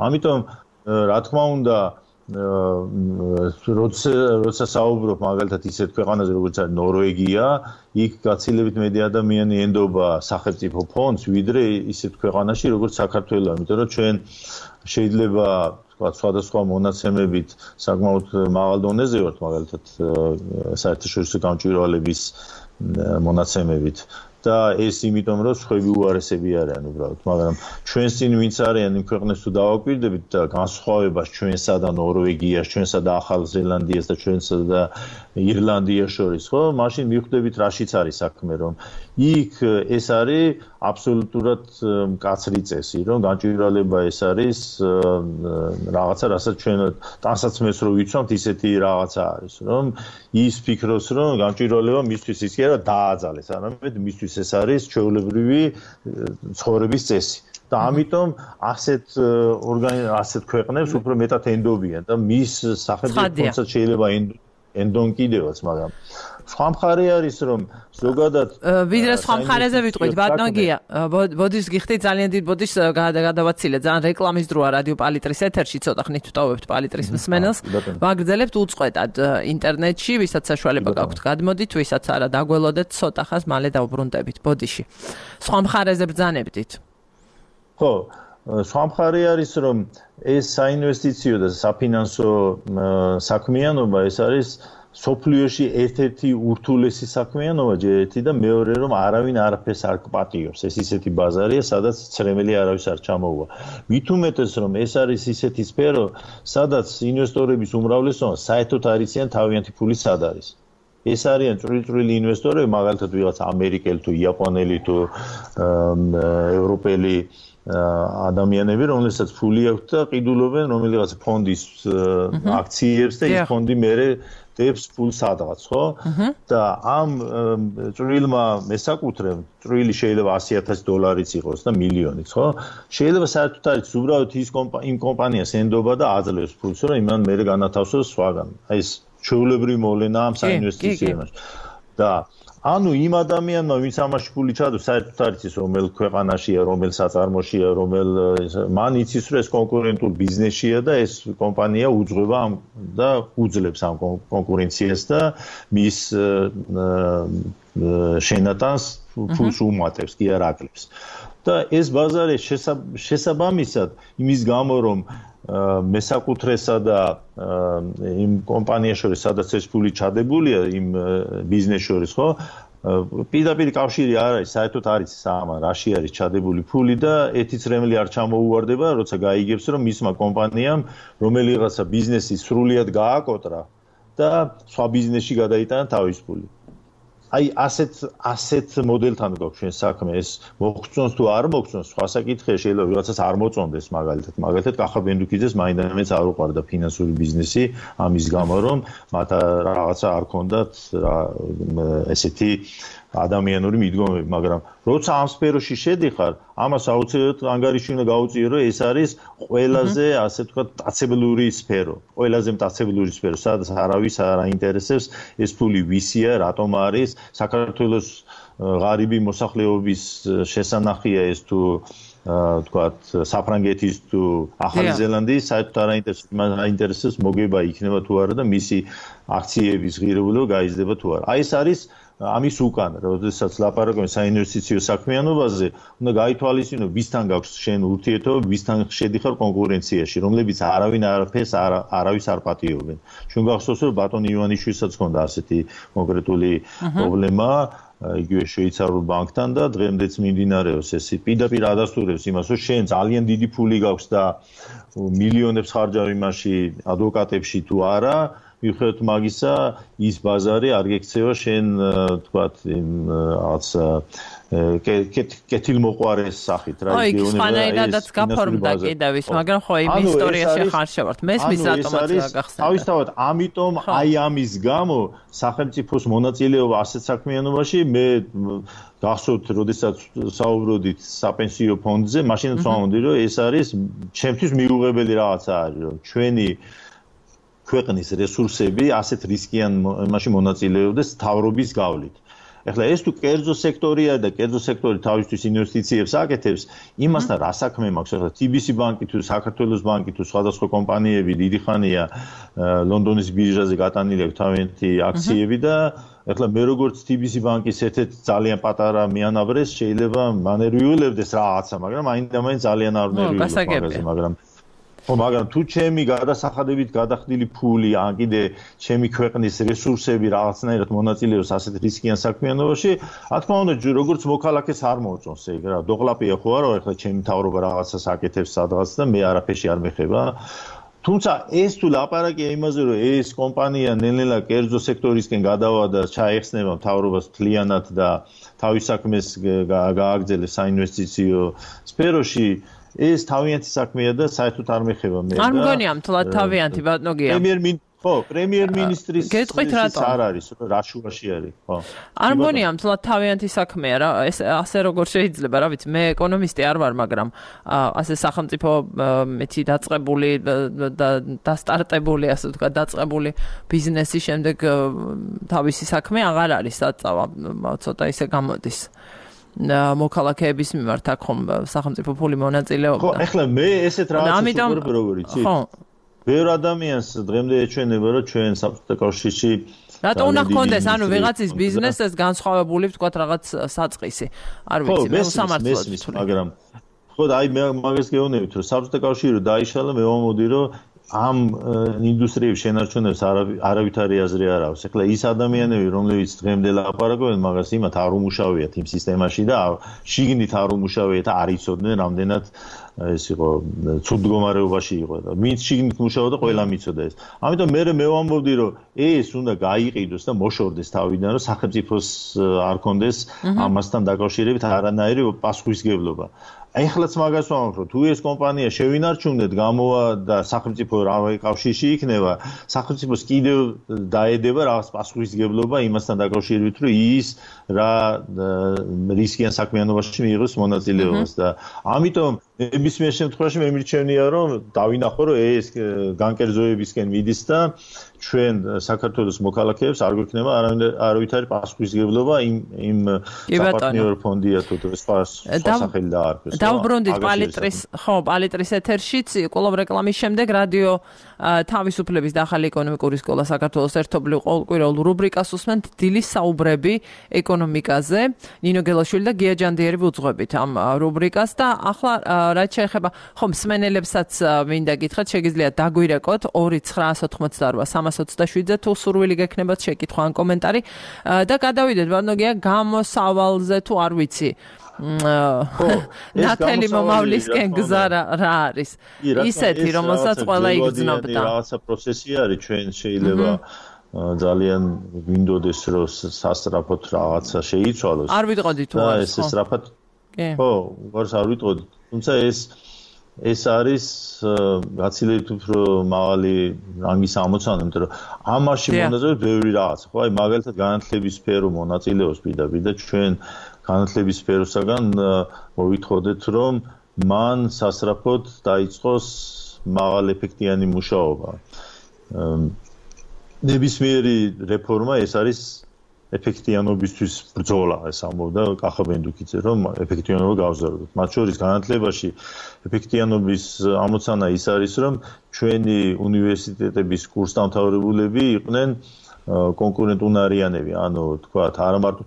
ამიტომ რა თქმა უნდა როცა საუბრობ მაგალითად ისეთ ქვეყანაზე როგორც არის ნორვეგია, იქ გაცილებით მეტი ადამიანი ენდობა სახელმწიფო ფონდს, ვიდრე ისეთ ქვეყანაში როგორც საქართველო, იმიტომ რომ ჩვენ შეიძლება სხვადასხვა მონაცემებით საკმაოდ მაღალ დონეზე ვართ, მაგალითად საერთაშორისო გამჭვირვალების მონაცემებით. და ეს იმიტომ რომ სხვები უარესები არიან უბრალოდ, მაგრამ ჩვენს წინ ვინც არიან იმ ქვეყნებს თუ დავაკვირდებით და განსხვავებას ჩვენსა და ნორვეგიას, ჩვენსა და ახალ ზელანდიას და ჩვენსა და ირლანდიას შორის, ხო? მაშინ მივხვდებით რაშიც არის საქმე, რომ იქ ეს არის აბსოლუტურად მკაცრი წესი, რომ გამჭვირვალება ეს არის რაღაცა, რასაც ჩვენ ტანსაცმელს რო ვიცვამთ, ისეთი რაღაცა არის, რომ ის ფიქრობს, რომ გამჭვირვალება მისთვის ის კი არა დააძალეს, არამედ მისთვის ეს არის ჩვეულებრივი ცხოვრების წესი. და ამიტომ ასეთ ქვეყნებს უფრო მეტად ენდობიან და მის სახელმწიფო ფონდსაც შეიძლება ენდონ კიდევაც, მაგრამ სხვა მხარე არის, რომ ზოგადად ვიდრე სხვა მხარეზე ვიტყვით, ბატონო გია, ბოდის გიხდით ძალიან დიდ ბოდის გადავაცილეთ, ძალიან რეკლამის დროა რადიო პალიტრის ეთერში, ცოტა ხნით ვტოვებთ პალიტრის მსმენელს, ვაგრძელებთ უწყვეტად ინტერნეტში, ვისაც საშუალება გაქვთ გადმოდით, ვისაც არა დაგველოდეთ, ცოტა ხანს მალე დავბრუნდებით ბოდიში. სხვა მხარეზე ბრძანებდით. ხო, სხვა მხარე არის, რომ ეს საინვესტიციო და საფინანსო საქმიანობა ეს არის სოფლიოში ერთ-ერთი ურთულესი საქმიანობა ჯერეთი და მეორე რომ არავინ არაფერს არ გპატიობს. ეს ისეთი ბაზარია, სადაც ცრემელი არავის არ ჩამოუვა. მით უმეტეს რომ ეს არის ისეთი სფერო, სადაც ინვესტორების უმრავლესობა საერთოდ არ იციან თავიანთი ფული სად არის. ეს არიან წვრილ-წვრილი ინვესტორები, მაგალითად ვიღაც ამერიკელი თუ იაპონელი თუ ევროპელი ადამიანები, რომელსაც ფული აქვს და ყიდულობენ რომელიღაც ფონდის აქციებს და ის ფონდი მერე დებს ფულს სადღაც, ხო? და ამ წვრილმა მესაკუთრემ, წვრილი შეიძლება $100,000 იყოს და მილიონიც, ხო? შეიძლება საერთოდ არის უბრალოდ იმ კომპანიას ენდობა და აძლევს ფულს, რომ იმან მერე განათავსოს სხვაგან. აი ეს ჩვეულებრივი მოვლენა ამ საინვესტიციებში. და ანუ იმ ადამიანმა, ვინც ამაში ფული ჩადოს, საერთოდ არ იცის რომელ ქვეყანაშია, რომელ საწარმოშია, მან იცის, რომ ეს კონკურენტულ ბიზნესია და ეს კომპანია უძღვება და უძლებს ამ კონკურენციას და მის შენატანს ფულს უმატებს, კი არ აკლებს. და ეს ბაზარი შესაბამისად იმის გამო, რომ მესაკუთრესა და იმ კომპანიას შორის, სადაც ეს ფული ჩადებულია, იმ ბიზნეს შორის, ხო? პირდაპირ კავშირი არ არის, საერთოდ არ იცის ამან, რაში არის ჩადებული ფული და ერთი წრემლი არ ჩამოუვარდება, როცა გაიგებს, რომ მისმა კომპანიამ რომელიღაცა ბიზნესი სრულიად გააკოტრა და სხვა ბიზნესში გადაიტანა თავის ფული. აი ასეთ მოდელთან გვაქვს ჩვენ საქმე, ეს მოგწონს თუ არ მოგწონს, სხვა საკითხია, შეიძლება ვიღაცას არ მოწონდეს მაგალითად კახაბ ენდუქიძეს მაინდამაც არ უყვარდა ფინანსური ბიზნესი ამის გამო, რომ მათ რაღაცა არ ქონდათ ესეთი ადამიანური მიდგომები, მაგრამ როცა ამ სფეროში შედიხარ, ამას აუცილებლად ანგარიში უნდა გაუწიო, რომ ეს არის ყველაზე, ასე ვთქვათ, მტაცებლური სფერო, ყველაზე მტაცებლური სფერო, სადაც არავის არ აინტერესებს ეს ფული ვისია, რატომ არის, საქართველოს ღარიბი მოსახლეობის შესანახია ეს თუ ვთქვათ, საფრანგეთის თუ ახალი ზელანდიის, საერთოდ არ აინტერესებს მოგება იქნება თუ არა და მისი აქციების ღირებულება გაიზრდება თუ არა. აი ეს არის ამის უკან, როდესაც ლაპარაკობენ საინვესტიციო საქმიანობაზე, უნდა გაითვალისწინო, ვისთან გაქვს შენ ურთიერთობა, ვისთან შედიხარ კონკურენციაში, რომლებიც არავინ არაფერს არავის არ პატიობენ. ჩვენ გახსოვს, რომ ბატონ ივანიშვილსაც ჰქონდა ასეთი კონკრეტული პრობლემა, იგივე შვეიცარიულ ბანკთან და დღემდეც მიმდინარეობს ეს. პირდაპირ ადასტურებს იმას, რომ შენ ძალიან დიდი ფული გაქვს და მილიონებს ხარჯავ იმაში ადვოკატებში თუ არა, მიუხედავად მაგისა, ის ბაზარი არ გექცევა შენ, თქვათ, რაღაც კეთილმოყვარეს სახით, რა იგივე. აი, ხანაირადაც გაფორმდა კიდევ ის, მაგრამ ხო იმ ისტორიაში ხარშევართ. მესმის რატომაც გახსენდა. თავისთავად, ამიტომ აი ამის გამო სახელმწიფოს მონაწილეობა ასეთ საქმიანობაში მე გახსოვთ, როდესაც საუბრობდით საპენსიო ფონდზე, მაშინაც ვამბობდი, რომ ეს არის ჩემთვის მიუღებელი რაღაცა არის, რომ ჩვენი ქვეყნის რესურსები ასეთ რისკიან მასში მონაწილეობდეს თავრობის გავლით. ეხლა ეს თუ კერძო სექტორია და კერძო სექტორი თავისთვის ინვესტიციებს აკეთებს, იმასთან რა საქმე მაქვს? ეხლა TBC ბანკი თუ საქართველოს ბანკი თუ სხვადასხვა კომპანიები დიდი ხანია ლონდონის ბირჟაზე გატანილი აქვს თავიანთი აქციები და ეხლა მე როგორც TBC ბანკის ერთ-ერთი ძალიან პატარა მიანავრეს შეიძლება მანერვიულებდეს რაღაცა, მაგრამ აინდა-მაინც ძალიან არ ნერვიულობს, მაგრამ თუ ჩემი გადასახადებით გადახდილი ფული ან კიდე ჩემი ქვეყნის რესურსები რაღაცნაირად მონაწილეობს ასეთ რისკიან საქმიანობაში, რა თქმა უნდა, როგორც მოქალაქეს არ მოწონს ეგ რა. დოყლაპია ხო არა, ეხლა ჩემი მთავრობა რაღაცას აკეთებს სადღაც და მე არაფერში არ მეხება. თუმცა ეს თუ ლაპარაკია იმაზე, რომ ეს კომპანია ნელ-ნელა კერძო სექტორისკენ გადავა და ჩაეხსნება მთავრობას მთლიანად და თავის საქმეს გააგრძელებს საინვესტიციო სფეროში, ეს თავიანთი საქმეა და საერთოდ არ მეხება მე. არ მგონია მთლად თავიანთი ბატონო გია. პრემიერ-მინისტრის არ არის, რა შუაში არის, ხო. არ მგონია მთლად თავიანთი საქმეა რა, ეს ასე როგორ შეიძლება, რა ვიცი, მე ეკონომისტი არ ვარ, მაგრამ ასე სახელმწიფო მეცი დაწყებული და დასტარტებული, ასე ვთქვათ, დაწყებული ბიზნესის შემდეგ თავისი საქმე აღარ არის საწავა, ცოტა ისე გამოდის. მოქალაქეების მიმართ აქ ხომ სახელმწიფო ფული მონაწილეობდა. ხო, ეხლა მე ესეთ რაღაცას ვუყურებ როგორ იცით? ხო. ბევრ ადამიანს დღემდე ეჩვენება, რომ ჩვენ საბჭოთა კავშირში რატო უნდა გქონდეს, ანუ ვიღაცის ბიზნესს განსხვავებული, ვთქვათ, რაღაც საწყისი. არ ვიცი, მე სამართლად ვთვლი. მაგრამ ხო, აი მე მაგას გეუბნებით, რომ საბჭოთა კავშირი რო დაიშალა, მე ვამბობდი, რომ ამ ინდუსტრიების შენარჩუნებას არავითარი აზრი არ აქვს. ეხლა ის ადამიანები, რომლებიც დღემდე ლაპარაკობენ მაგას, იმათ არ უმუშავიათ იმ სისტემაში და შიგნით არ უმუშავიათ და არ იცოდნენ რამდენად ეს იყო ცუდ მდგომარეობაში იყო და ვინც შიგნით მუშაობდა, ყველა მიცოდა ეს. ამიტომ მე ვამბობდი, რომ ეს უნდა გაიყიდოს და მოშორდეს თავიდან, რომ სახელმწიფოს არ კონდეს ამასთან დაკავშირებით არანაირი პასუხისგებლობა. ეხლაც მაგას ვამბობ, რომ თუ ეს კომპანია შევინარჩუნეთ, გამოვა და სახელმწიფო რავი კავშირში იქნება, სახელმწიფოს კიდევ დაედება რაღაც პასუხისგებლობა იმასთან დაკავშირებით, რომ ის რა რისკიან საქმიანობაში მიიღოს მონაწილეობას და ამიტომ ნებისმიერ შემთხვევაში მე მირჩენია, რომ დავინახო, რომ ეს განკერძოებისკენ მიდის და ჩვენ საქართველოს მოქალაქეებს არ გვექნება არავითარი პასუხისგებლობა იმ საპარტნიორო ფონდია თუ სხვა სახელი დაარქვეს. დავბრუნდით პალიტრის ეთერშიც, კვლავ რეკლამის შემდეგ რადიო თავისუფლების და ახალი ეკონომიკური სკოლა საქართველოს ერთობლივ ყოველკვირეულ რუბრიკას უსმენთ დილის საუბრები ეკონომიკაზე. ნინო გელაშვილი და გია ჯანდიერი ვუძღვებით ამ რუბრიკას და ახლა რაც შეეხება მსმენელებსაც მინდა გითხრათ, შეგიძლიათ დაგვირეკოთ 2988327-ზე თუ სურვილი გექნებათ შეკითხვა ან კომენტარი და გადავიდეთ ბანოგია გამოსავალზე თუ არ ვიცი. ნათელი მომავლისკენ გზა რა არის? ისეთი, რომელსაც ყველა იგრძნობდა. რაღაცა პროცესი არის, ჩვენ შეიძლება ძალიან გვინდოდეს, რომ სასწრაფოდ რაღაცა შეიცვალოს. არ ვიტყოდი თუ არის. ეს სწრაფად ხო, უბრალოდ არ ვიტყოდი. თუმცა ეს არის გაცილებით უფრო მაღალი რანგის ამოცანა, იმიტომ რომ ამაში მონაწილეობს ბევრი რაღაც. ხო, აი მაგალითად განათლების სფერო მონაწილეობს პირდაპირ და ჩვენ განათლების სფეროსაგან მოვითხოვდეთ, რომ მან სასწრაფოდ დაიწყოს მაღალეფექტიანი მუშაობა. ნებისმიერი რეფორმა ეს არის ეფექტიანობისთვის ბრძოლა, ეს ამბობდა კახაბენდუკიძე, რომ ეფექტიანობა გავზარდოთ. მათ შორის განათლებაში ეფექტიანობის ამოცანა ის არის, რომ ჩვენი უნივერსიტეტების კურსდამთავრებულები იყვნენ კონკურენტუნარიანები, ანუ თქვათ, არა მარტო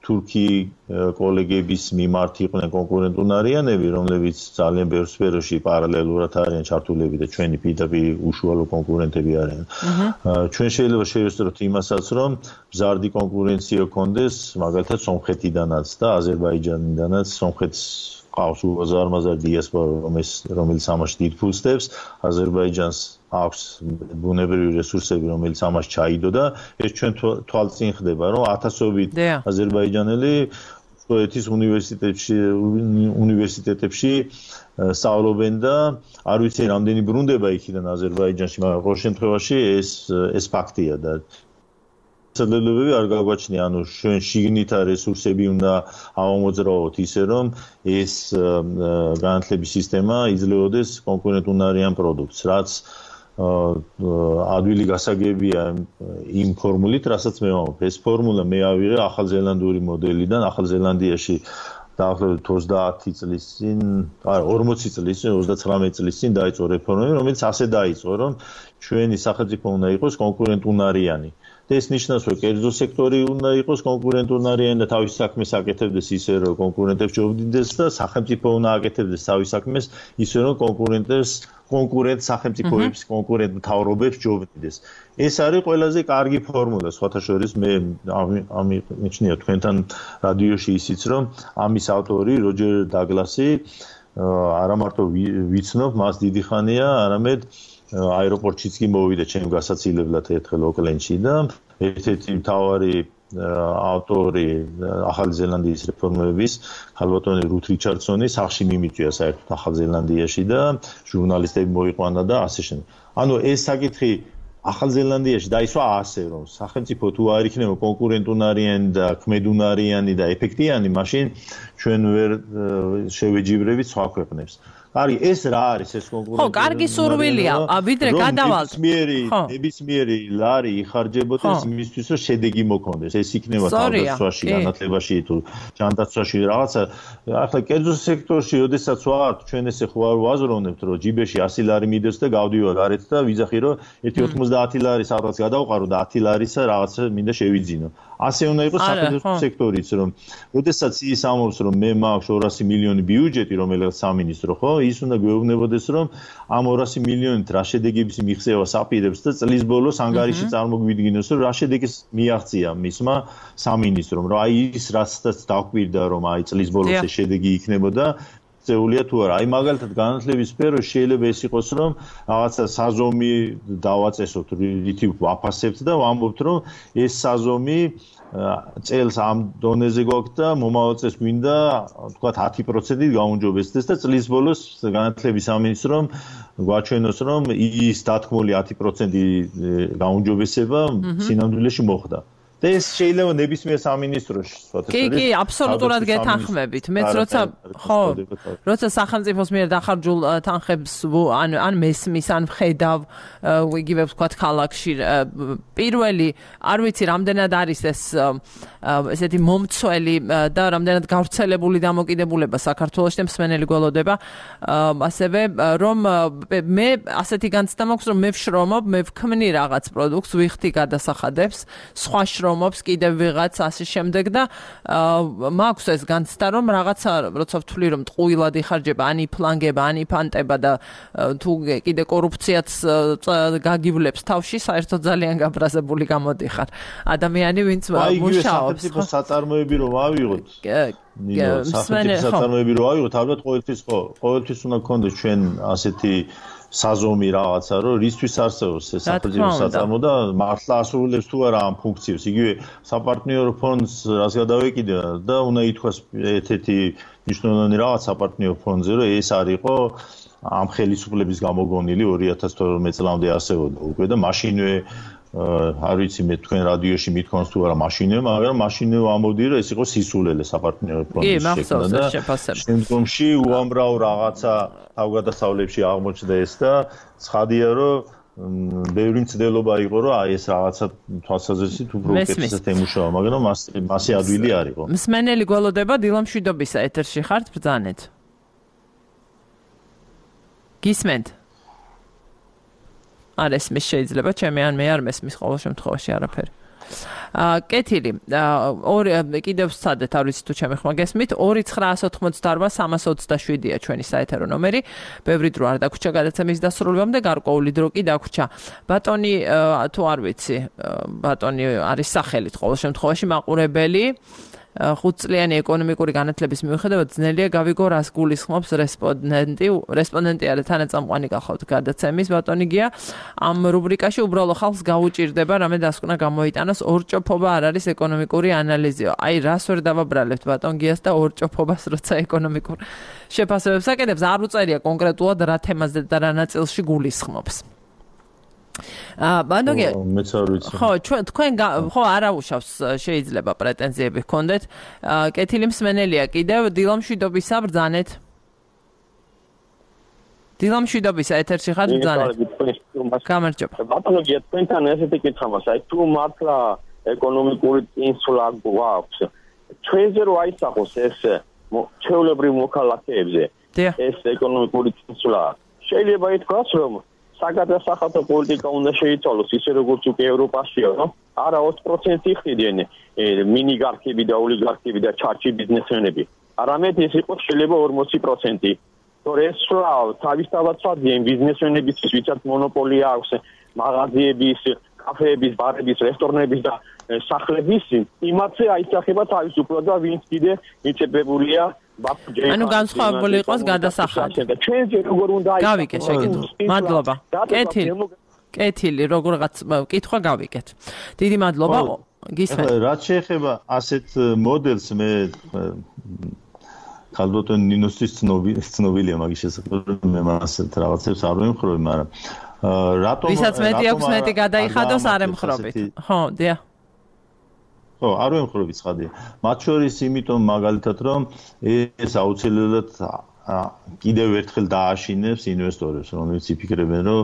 თურქი კოლეგების მიმართ იყვნენ კონკურენტუნარიანები, რომლებიც ძალიან ბევრ სფეროში პარალელურად არიან ჩართულები და ჩვენი პირდაპირ უშუალო კონკურენტები არიან. ჩვენ შეიძლება შევესწროთ იმასაც, რომ მზარდი კონკურენცია გქონდეს, მაგალითად სომხეთიდანაც და აზერბაიჯანიდანაც. სომხეთს ყავს უზარმაზარი დიასპორა, რომელიც ამაში დიდ ფულს დებს, აზერბაიჯანს აქვს ბუნებრივი რესურსები, რომელიც ამას ჩაიდო და ეს ჩვენ თვალწინ ხდება, რომ ათასობით აზერბაიჯანელი სოეთის უნივერსიტეტებში სწავლობენ და არ ვიცი რამდენი ბრუნდება იქიდან აზერბაიჯანში, მაგრამ ყოველ შემთხვევაში ეს ფაქტია და ცდილობები არ გაგვაჩნია, ანუ ჩვენ შიგნით რესურსები უნდა ავამოძრავოთ ისე, რომ ეს განათლების სისტემა იძლეოდეს კონკურენტუნარიან პროდუქტს, რაც ადვილი გასაგებია იმ ფორმულით, რასაც მე ვამბობ. ეს ფორმულა მე ავიღე ახალზელანდიური მოდელიდან, ახალზელანდიაში დაახლოებით 30 წლის წინ, 40 წლის წინ, 39 წლის წინ დაიწყო რეფორმები, რომელიც ასე დაიწყო, რომ ჩვენი სახელმწიფო უნდა იყოს კონკურენტუნარიანი. და ეს ნიშნავს, რომ კერძო სექტორი უნდა იყოს კონკურენტუნარიანი და თავის საქმეს აკეთებდეს ისე, რომ კონკურენტებს ჯობდიდეს და სახელმწიფო უნდა აკეთებდეს თავის საქმეს ისე, რომ კონკურენტ სახელმწიფოებს, კონკურენტ მთავრობებს ჯობდიდეს. ეს არის ყველაზე კარგი ფორმულა, სხვათა შორის მე ამიჩნია თქვენთან რადიოში ისიც, რომ ამის ავტორი როჯერ დაგლასი არა მარტო ვიცნობ, მას დიდი ხანია, არამედ აეროპორტშიც კი მოვიდა ჩემ გასაცილებლად ერთხელ ოკლენდში და ერთ-ერთი მთავარი ავტორი ახალი ზელანდიის რეფორმების ქალბატონი რუთ რიჩარდსონი სახში მიმიწვია საერთოდ ახალ ზელანდიაში და ჟურნალისტები მოიყვანა და ასე შემდეგ. ანუ ეს საკითხი ახალ ზელანდიაში დაისვა ასე, რომ სახელმწიფო თუ არ იქნება კონკურენტუნარიანი და ქმედუნარიანი და ეფექტიანი, მაშინ ჩვენ ვერ შევეჯიბრებით სხვა ქვეყნებს. კარგი, ეს რა არის ეს კონკურენტი? ხო, კარგი სურვილია, ვიდრე გადავალთ. ნებისმიერი ლარი იხარჯებოდეს იმისთვის, რომ შედეგი მოქონდეს. ეს იქნება თავდაცვაში, განათლებაში თუ ჯანდაცვაში რაღაცა. ახლა კერძო სექტორში, როდესაც ვართ, ჩვენ ესე ხო არ ვაზროვნებთ, რომ ჯიბეში 100 ლარი მიდევს და გავდივარ გარეთ და ვიძახი, რომ 1.90 ლარი სადღაც გადავყარო და 10 ლარისა რაღაცა მინდა შევიძინო. ასე უნდა იყოს საფინანსო სექტორიც, რომ როდესაც ის ამბობს, რომ მე მაქვს 200 მილიონი ბიუჯეტი, რომელიც სამინისტრო, ხო? ის უნდა გვეუბნებოდეს, რომ ამ 200 მილიონით რა შედეგების მიღწევას აპირებს და წლის ბოლოს ანგარიში წარმოგვიდგინოს, რომ რა შედეგის მიაღწია მისმა სამინისტრომ, რომ აი ის რასაც დაგვირდა, რომ აი წლის ბოლოს ეს შედეგი იქნებოდა წეულია თუ არა. აი მაგალითად განათლების სფეროში შეიძლება ეს იყოს, რომ რაღაცა საზომი დავაწესოთ, რითი ვაფასებთ და ვამბობთ, რომ ეს საზომი წელს ამ დონეზე გვაქვს და მომავალ წელს გვინდა თქვათ 10%-ით გაუმჯობესდეს და წლის ბოლოს განათლების სამინისტრომ გვაჩვენოს, რომ ის დათქმული 10% გაუმჯობესება სინამდვილეში მოხდა. და ეს შეიძლება ნებისმიერ სამინისტროში სხვათა შორის. კი, აბსოლუტურად გეთანხმებით. მეც როცა სახელმწიფოს მიერ დახარჯულ თანხებს ან მესმის, ან ვხედავ იგივე ვთქვათ ქალაქში, პირველი არ ვიცი რამდენად არის ეს ესეთი მომცველი და რამდენად გავრცელებული დამოკიდებულება საქართველოში და მსმენელი გველოდება, ასევე რომ მე ასეთი განცდა მაქვს, რომ მე ვშრომობ, მე ვქმნი რაღაც პროდუქტს, ვიხდი გადასახადებს, სხვა შრომობს კიდევ ვიღაც ასე შემდეგ და მაქვს ეს განცდა, რომ რაღაცა როცა ვთვლი, რომ ტყუილად იხარჯება, ან იფლანგება, ან იფანტება და თუ კიდე კორუფციაც გაგივლებს თავში, საერთოდ ძალიან გაბრაზებული გამოდიხარ. ადამიანი, ვინც მუშაობს. სახელმწიფო საწარმოები რომ ავიღოთ. სახელმწიფო საწარმოები რომ ავიღოთ, ალბათ ყოველთვის უნდა გქონდეს ჩვენ ასეთი საზომი რაღაცა, რომ რისთვის არსებობს ეს სახელმწიფო საწარმო და მართლა ასრულებს თუ არა ამ ფუნქციებს. იგივე საპარტნიორო ფონდს რას გადავეკიდე და უნდა ითქვას ერთ-ერთი მნიშვნელოვანი რაღაც საპარტნიორო ფონდზე, რომ ეს არისო ამ ხელისუფლების გამოგონილი 2012 წლამდე არსებობდა უკვე და მაშინვე არ ვიცი მე თქვენ რადიოში მithქვამს თუ არა მაშინვე, მაგრამ მაშინვე ამბობდი, რომ ეს იყო სისულელე საპარტნიორო ფონდის შექმნა და შემდგომში უამრავ რაღაცა თავგადასავლებში აღმოჩნდა ეს და ცხადია, რომ ბევრი მცდელობა იყო, რომ აი ეს რაღაცა თვალსაზრისით უფრო უკეთესად ემუშავა, მაგრამ მასე ადვილი არ იყო. მსმენელი გველოდება დილამშვიდობისა ეთერში ხართ, ბრძანეთ. გისმენთ? არ ესმის შეიძლება, ჩემი ან მე არ მესმის ყოველ შემთხვევაში არაფერი. კეთილი, კიდევ ვცადეთ, არ ვიცი თუ ჩემი ხმა გესმით, 2988327-ია ჩვენი საეთერო ნომერი. ბევრი დრო არ დაგვრჩა გადაცემის დასრულებამდე, გარკვეული დრო კი დაგვრჩა. ბატონი, თუ არ ვიცი, ბატონი არის სახელით ყოველ შემთხვევაში მაყურებელი. 5 წლიანი ეკონომიკური განათლების მიუხედავად ძნელია გავიგო რას გულისხმობს რესპონდენტი არა თანაწამყვანი გახავთ გადაცემის ბატონი გია ამ რუბრიკაში უბრალო ხალხს გაუჭირდება რამე დასკვნა გამოიტანოს ორჭოფობა არ არის ეკონომიკური ანალიზიო აი რას ვერ დავაბრალებთ ბატონ გიას და ორჭოფობას როცა ეკონომიკურ შეფასებებს აკეთებს არ უწერია კონკრეტულად რა თემაზე და რა ნაწილში გულისხმობს ბანოგია მეც არ ვიცი ხო თქვენ ხო არაუშავს შეიძლება პრეტენზიები გქონდეთ კეთილი მსმენელია კიდევ დილამშვიდობისა ბრძანეთ დილამშვიდობისა ეთერში ხარ ბრძანეთ გამარჯობა ბატონოგია თქვენთან ესეთი კითხვა მაქვს აი თუ მართლა ეკონომიკური წინსვლა გვაქვს ჩვენზე რო აისახოს ეს ჩვეულებრივ მოქალაქეებზე ეს ეკონომიკური წინსვლა შეიძლება ითქვას რომ საგადასახადო პოლიტიკა უნდა შეიცვალოს ისე როგორც უკვე ევროპაშია, რომ არა 20% ხდიან მინიგარქები და ოლიგარქები და ჩარჩი ბიზნესმენები. არამედ ეს იყოს შეიძლება 40%. თორე ეს თავისთავად სვადიან ბიზნესმენების ვისაც მონოპოლია აქვს მაღაზიების, კაფეების, ბარების, რესტორნების და სახლების, იმათზე აისახება თავისუფლად და ვინც კიდე მიწებებულია ანუ განსხვავებული იყოს გადასახადი. ჩვენზე როგორ უნდა გავიგე შეკითხვა. მადლობა. კეთილი, როგორღაც კითხვა გავიგეთ. დიდი მადლობა. გისმენთ. რაც შეეხება ასეთ მოდელს მე ხალბოტონ ნინოსის ცნობილია მაგის შესაძლებლად მე მასეთ რაღაცებს არ ვემხრობი, მაგრამ რატომ ვისაც მეტი აქვს მეტი გადაიხადოს არ ემხრობით. ხო, დიახ. ხო, არ ვემხრობი ცხადია. მათ შორის იმიტომ მაგალითად რომ ეს აუცილებლად კიდევ ერთხელ დააშინებს ინვესტორებს, რომლებიც იფიქრებენ, რომ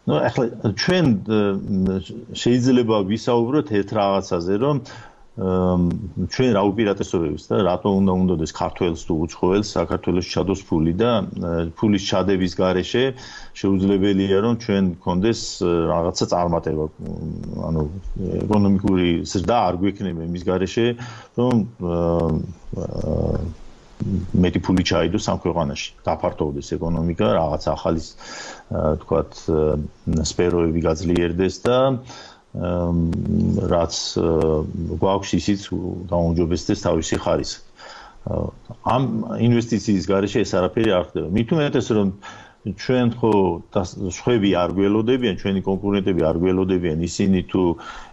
ნუ ახლა ჩვენ შეიძლება ვისაუბროთ ერთ რაღაცაზე, რომ ჩვენ რა უპირატესობებს და რატომ უნდა უნდადეს ქართველს თუ უცხოელს საქართველოს ჩადოს ფული და ფულის ჩადების გარეშე შეუძლებელია რომ ჩვენ გქონდეს რაღაცა წარმატება ანუ ეკონომიკური ზრდა არ გვექნება იმის გარეშე რომ მეტი ფული ჩაიდოს ამ ქვეყანაში დაფართოვდეს ეკონომიკა რაღაც ახალი თქვათ სფეროები გაძლიერდეს და რაც გვაქვს ისიც გაუმჯობესდეს თავისი ხარისხი. ამ ინვესტიციის გარეშე ეს არაფერი არ ხდება. მით უმეტეს რომ ჩვენ ხო სხვები არ გველოდებიან, ჩვენი კონკურენტები არ გველოდებიან, ისინი თუ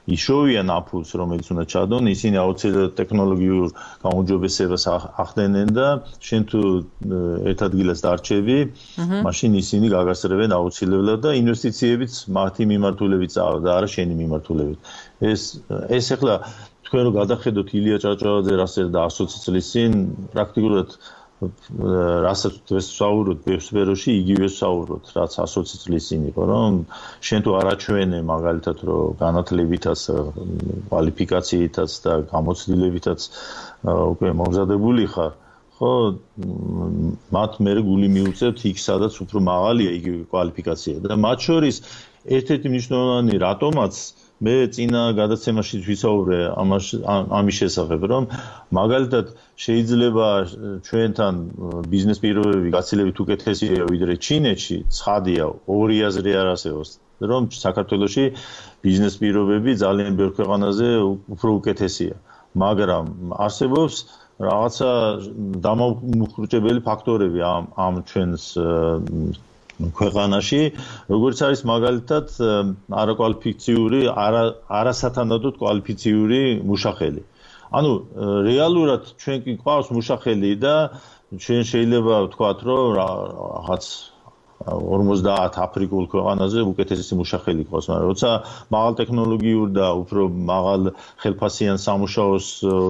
იშოვიან ამ ფულს, რომელიც უნდა ჩადონ, ისინი აუცილებლად ტექნოლოგიურ გაუმჯობესებას ახდენენ და შენ თუ ერთ ადგილას დარჩები, მაშინ ისინი გაგასწრებენ აუცილებლად და ინვესტიციებიც მათი მიმართულებით წავა და არა შენი მიმართულებით. ეს ახლა თქვენ რო გადახედოთ ილია ჭავჭავაძე რასაც და 120 წლის წინ პრაქტიკულად რასაც ვსაუბრობთ სფეროში იგივე ვსაუბრობთ რაც 120 წლის წინ იყო რომ შენ თუ არაჩვენე მაგალითად რომ განათლებითაც კვალიფიკაციითაც და გამოცდილებითაც უკვე მომზადებული ხარ ხო მათ მე გული მიუწევთ იქ სადაც უფრო მაღალია იგივე კვალიფიკაცია და მათ შორის ერთ-ერთი მნიშვნელოვანი რატომაც მე წინა გადაცემაში ვისაუბრე ამის შესახებ რომ მაგალითად შეიძლება ჩვენთან ბიზნეს პირობები გაცილებით უკეთესია ვიდრე ჩინეთში ცხადია ორი აზრი არ არსებობს რომ საქართველოში ბიზნეს პირობები ძალიან ბევრ ქვეყანაზე უფრო უკეთესია მაგრამ არსებობს რაღაცა დამამუხრუჭებელი ფაქტორები ამ ჩვენს ქვეყანაში, როგორც არის მაგალითად არაკვალიფიციური, არასათანადოდ კვალიფიციური მუშახელი. ანუ რეალურად ჩვენ კი გვყავს მუშახელი და ჩვენ შეიძლება ვთქვათ, რომ რაღაც 50 აფრიკულ ქვეყანაზე უკეთესი მუშახელი ყავს, მაგრამ როცა მაღალ ტექნოლოგიურ და უფრო მაღალ ხელფასიან სამუშაოს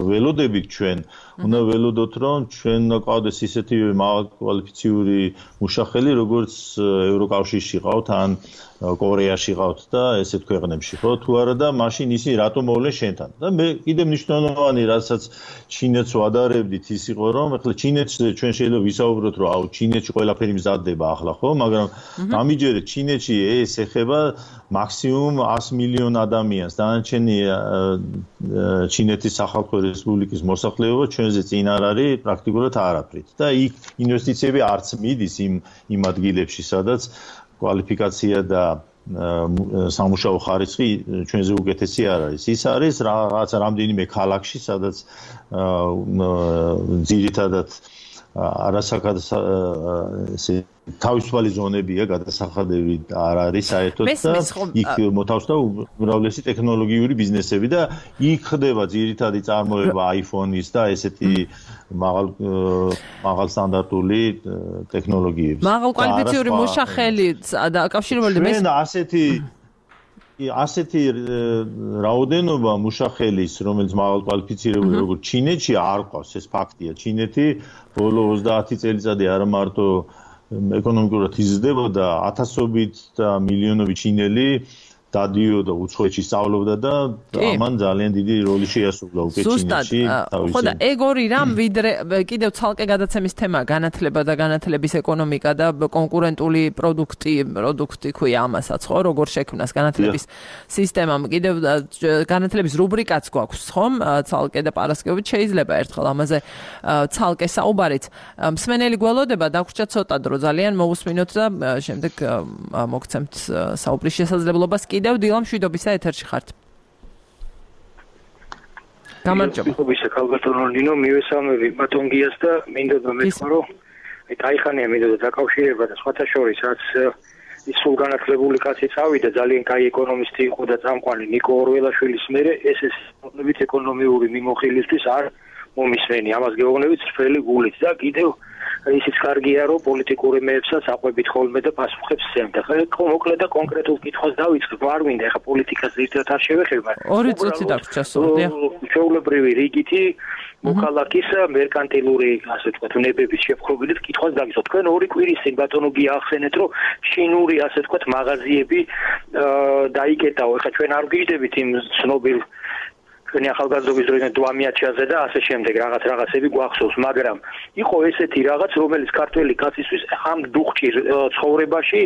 ველოდებით ჩვენ, უნდა ველოდოთ, რომ ჩვენ უნდა ყავდეს ისეთი მაღალ კვალიფიციური მუშახელი, როგორც ევროკავშირში ყავთ ან კორეაში ყავთ და ესეთ ქვეყნებში ხო თუ არა და მაშინ ისინი რატომ მოვლენ შენთან და მე კიდე მნიშვნელოვანი რასაც ჩინეთს ვადარებდით ის იყო რომ ახლა ჩინეთს ჩვენ შეიძლება ვისაუბროთ რომ აუ ჩინეთში ყველაფერი მზადდება ახლა ხო მაგრამ ამიჯერეთ ჩინეთში ეს ეხება მაქსიმუმ 100 მილიონ ადამიანს დანარჩენი ჩინეთის სახალხო რესპუბლიკის მოსახლეობა ჩვენზე წინ არ არის პრაქტიკულად არაფრით და იქ ინვესტიციები არც მიდის იმ ადგილებში სადაც კვალიფიკაცია და სამუშაო ხარისხი ჩვენზე უკეთესი არ არის. ის არის რაღაც რამდენიმე ქალაქში, სადაც ძირითადად არასაკად თავისუფალი ზონებია, გადასახადები არ არის საერთოდ და იქ მოთავსდა უმრავლესი ტექნოლოგიური ბიზნესები და იქ ხდება ძირითადი წარმოება iPhone-ის და ესეთი მაღალ სტანდარტული ტექნოლოგიების. მაღალ კვალიფიციური მუშახელი დაკავშირებული მე ასეთი რაოდენობა მუშახელის, რომელიც მაღალ კვალიფიცირებული როგორც ჩინეთში არ ყავს, ეს ფაქტია. ჩინეთი ბოლო 30 წელიწადი არა მარტო ეკონომიკურად იზრდებოდა, ათასობით და მილიონობით ჩინელი დადიოდა უცხოეთში სწავლობდა და ამან ძალიან დიდი როლი შეასრულა უკვე ჩინეთში. ხო და ეგორი რამ ვიდრე კიდევ ცალკე გადაცემის თემა განათლება და განათლების ეკონომიკა და კონკურენტული პროდუქტი ქვია ამასაც ხო როგორ შექმნას განათლების სისტემამ კიდევ განათლების რუბრიკაც გვაქვს ხომ ცალკე და პარასკევით შეიძლება ერთხელ ამაზე ცალკე საუბარიც მსმენელი გველოდება დაგვრჩა ცოტა დრო ძალიან მოусმინოთ და შემდეგ მოგცემთ საუბრის შესაძლებლობას კიდევ დილა მშვიდობისა ეთერში ხართ. გამარჯობა. მშვიდობისა ქალბატონო ნინო მივესალმები ბატონგიას და მინდოდა მეთქვა რომ აიხანია მინდოდა დაკავშირება და სხვათა შორის რაც ის სულ განათლებული კაცი წავიდა ძალიან კაი ეკონომისტი იყო და წამყვანი ნიკო ორველაშვილის მერე ეს ეკონომიკით ეკონომიური მიმოხილისთვის არ მომისმენი ამას გეუბნებით წრფელი გულით და კიდევ ისიც კარგია რომ პოლიტიკური მეებსაც აყვებით ხოლმე და პასუხებს სცემდა. ხო მოკლედ და კონკრეტულ კითხვას დავიწყებ. არ მინდა ეხა პოლიტიკას ერთად არ შევეხებ, მაგრამ 2 წუთი დაგვრჩა სულდია. ჩვეულებრივი რიგითი მოქალაქის მერკანტილური, ასე ვთქვათ, ნებების შეფრთხილებით კითხვას დავიწყებ. თქვენ 2 კვირის წინ ბატონო გიახსენეთ, რომ ჩინური, ასე ვთქვათ, მაღაზიები დაიკეტაო. ეხა ჩვენ არ გვიჯდებით იმ ცნობილ ჩვენი ახალგაზრდობის დროიდან დვამიაჩაზე და ასე შემდეგ რაღაცები გვახსოვს, მაგრამ იყო ესეთი რაღაც, რომელიც ქართველი კაცისთვის ამ დუხჭირ ცხოვრებაში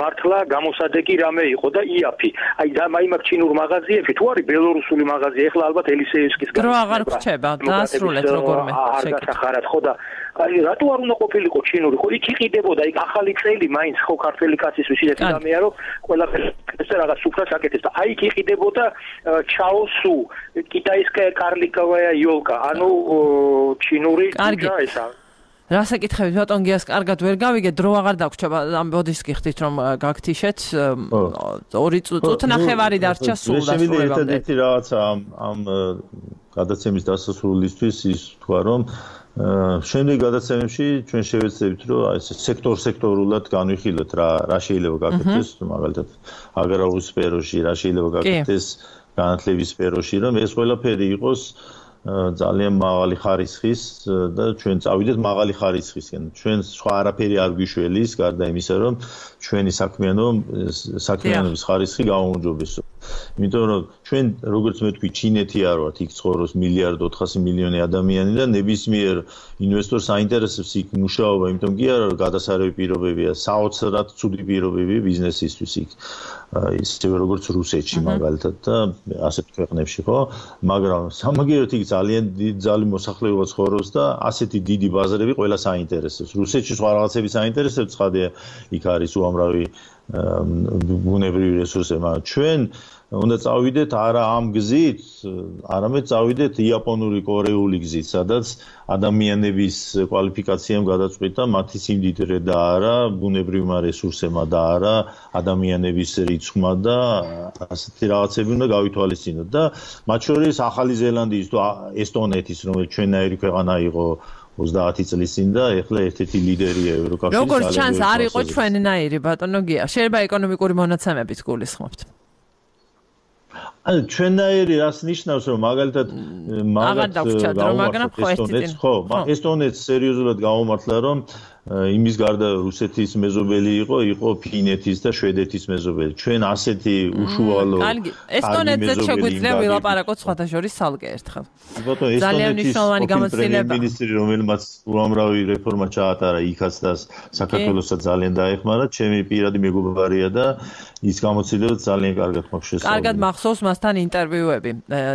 მართლა გამოსადეგი რამე იყო და იაფი. აი მაგ ჩინურ მაღაზიებში თუ არის ბელორუსული მაღაზია, ეხლა ალბათ ელისეევსკის დრო აღარ გრჩება, დაასრულეთ როგორმე. არ გასახარად ხო და აი რატო არ უნდა ყოფილიყო ჩინური? ხო იქ იყიდებოდა, იქ ახალი წელი მაინც ხო ქართველი კაცისთვის ისეთი რამეა, რომ ყველაფერი რაღაც სუფრას აკეთებს და აი იქ იყიდებოდა ჩაოსუ კიტაისკая карликовая ёлка, ანუ ჩინური ჯუჯა ესა. რა საკითხებით ბატონ გიას კარგად ვერ გავიგე, დრო აღარ დაგვრჩება, ამბოდის გიხდით რომ გაგთიშეთ 2 წუთნახევარი დარჩა სულ დასრულებამდე. ერთადერთი რაღაცა ამ გადაცემის დასასრულისთვის ის თქვა რომ შემდეგ გადაცემებში ჩვენ შევეცდებით რომ ეს სექტორულად განვიხილოთ რა შეიძლება გაკეთდეს, მაგალითად აგრარულ სფეროში რა შეიძლება გაკეთდეს განათლების სფეროში, რომ ეს ყველაფერი იყოს ძალიან მაღალი ხარისხის და ჩვენ წავიდეთ მაღალი ხარისხისკენ. ჩვენ სხვა არაფერი არ გვიშველის, გარდა იმისა, რომ ჩვენი საქმიანობის ხარისხი გაუმჯობესო. იმიტომ რომ ჩვენ როგორც მე თქვი, ჩინეთი არ ვართ, იქ ცხოვრობს 1.4 ადამიანი და ნებისმიერ ინვესტორს აინტერესებს იქ მუშაობა, იმიტომ კი არა, რომ გადასარევი პირობებია, საოცრად ცუდი პირობები ბიზნესისთვის იქ. ისევე როგორც რუსეთში მაგალითად და ასეთ ქვეყნებში ხო, მაგრამ სამაგიეროდ იქ ძალიან დიდი მოსახლეობა ცხოვრობს და ასეთი დიდი ბაზრები ყველას აინტერესებს. რუსეთში სხვა რაღაცები აინტერესებს, ცხადია, იქ არის უამრავი ბუნებრივი რესურსები, მაგრამ ჩვენ უნდა წავიდეთ არა ამ გზით, არამედ წავიდეთ იაპონური, კორეული გზით, სადაც ადამიანების კვალიფიკაციამ გადაწყვიტა მათი სიმდიდრე და არა ბუნებრივმა რესურსებმა და არა ადამიანების რიცხვმა და ასეთი რაღაცები უნდა გავითვალისწინოთ და მათ შორის ახალი ზელანდიის თუ ესტონეთის, რომელიც ჩვენნაირი ქვეყანა იყო 30 წლის წინ და ეხლა ერთ-ერთი ლიდერია ევროკავშირის. როგორც ჩანს არ იყო ჩვენნაირი ბატონო გია. შეიძლება ეკონომიკური მონაცემებით გულისხმობთ. ანუ ჩვენნაირი რას ნიშნავს, რომ მაგალითად აღარ დაგვრჩა დრო, მაგრამ ხო ერთი წინ. ხო, ესტონეთს სერიოზულად გაუმართლა, რომ იმის გარდა რუსეთის მეზობელი იყო ფინეთის და შვედეთის მეზობელი. ჩვენ ასეთი უშუალო ესტონეთზე შეგვიძლია ვილაპარაკოთ სხვათა შორის სალგე ერთხელ. ძალიან მნიშვნელოვანი გამოცდილება. მინისტრი რომელმაც უამრავი რეფორმა ჩაატარა იქაც და საქართველოსაც ძალიან დაეხმარა, ჩემი პირადი მეგობარია და ის გამოცდილება ძალიან კარგად მაქვს შესწავლილი. კარგად მახსოვს მასთან ინტერვიუები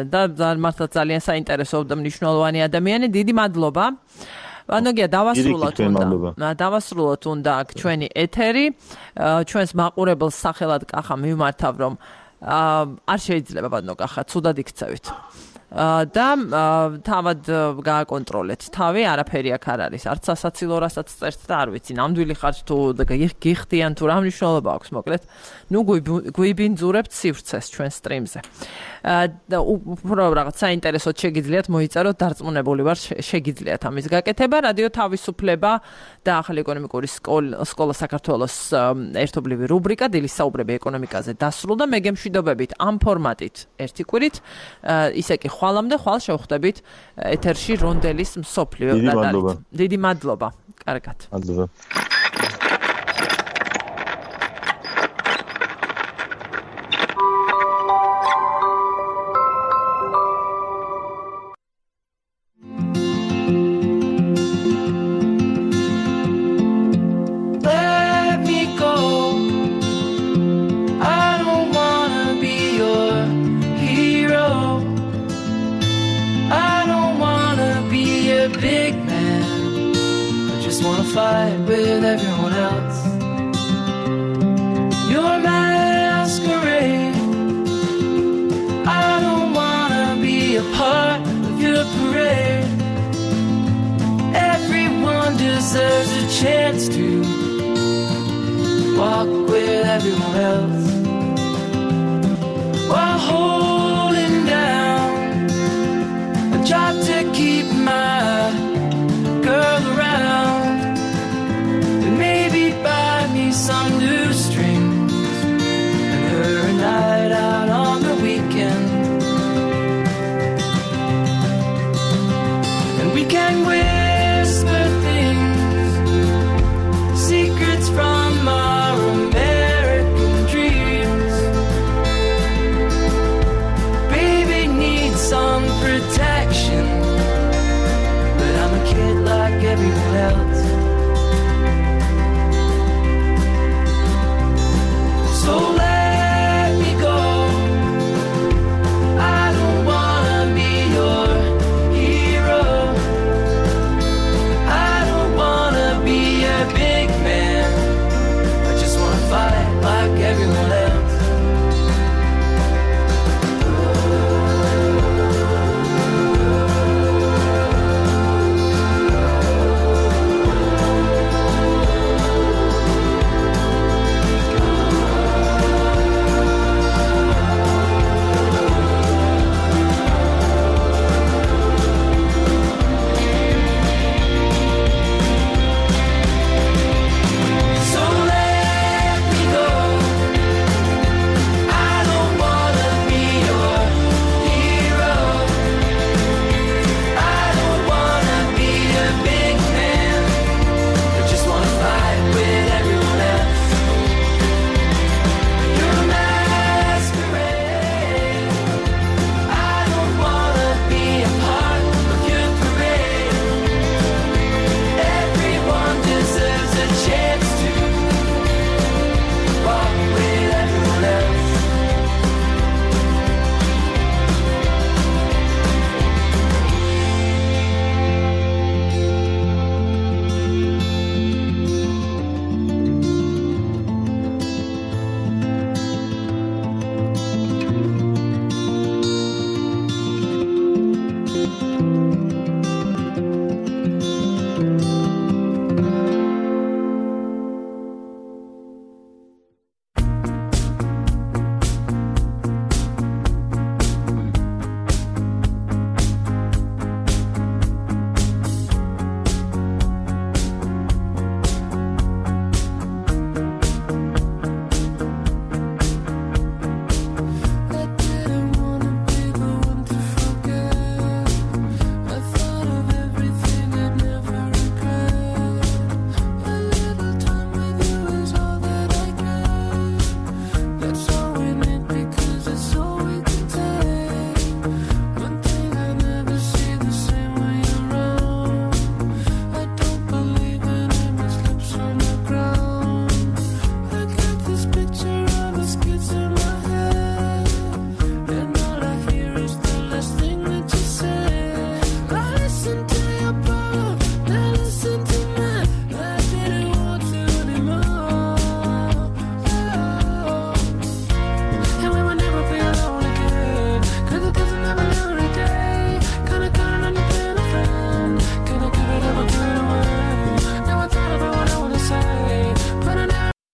და მართლა ძალიან საინტერესო და მნიშვნელოვანი ადამიანი. დიდი მადლობა. Anogea დავასრულოთ უნდა ჩვენი ეთერი ჩვენს მაყურებელს სახელად კახა მივმართავ რომ არ შეიძლება ბატონო კახა ცუდად იქცევით და თავად გააკონტროლეთ თავი არაფერი აქ არ არის არც სასაცილო რასაც წერთ და არ ვიცი ნამდვილი ხართ თუ გიხდიან თუ რა მნიშვნელობა აქვს მოკლედ ნუ გვიბინძურებთ სივრცეს ჩვენ სტრიმზე და უფრო რაღაც საინტერესოდ შეგიძლიათ მოიწეროთ დარწმუნებული ვარ შეგიძლიათ ამის გაკეთება რადიო თავისუფლება და ახალი ეკონომიკური სკოლა საქართველოს ერთობლივი რუბრიკა დილის საუბრები ეკონომიკაზე დასრულდა მე გემშვიდობებით ამ ფორმატით ერთი კვირით ისე კი ხვალამდე ხვალ შევხვდებით ეთერში რონდელის მსოფლიო გადარით დიდი მადლობა კარგად მადლობა Fight with everyone else. Your masquerade. I don't wanna be a part of your parade. Everyone deserves a chance to walk with everyone else.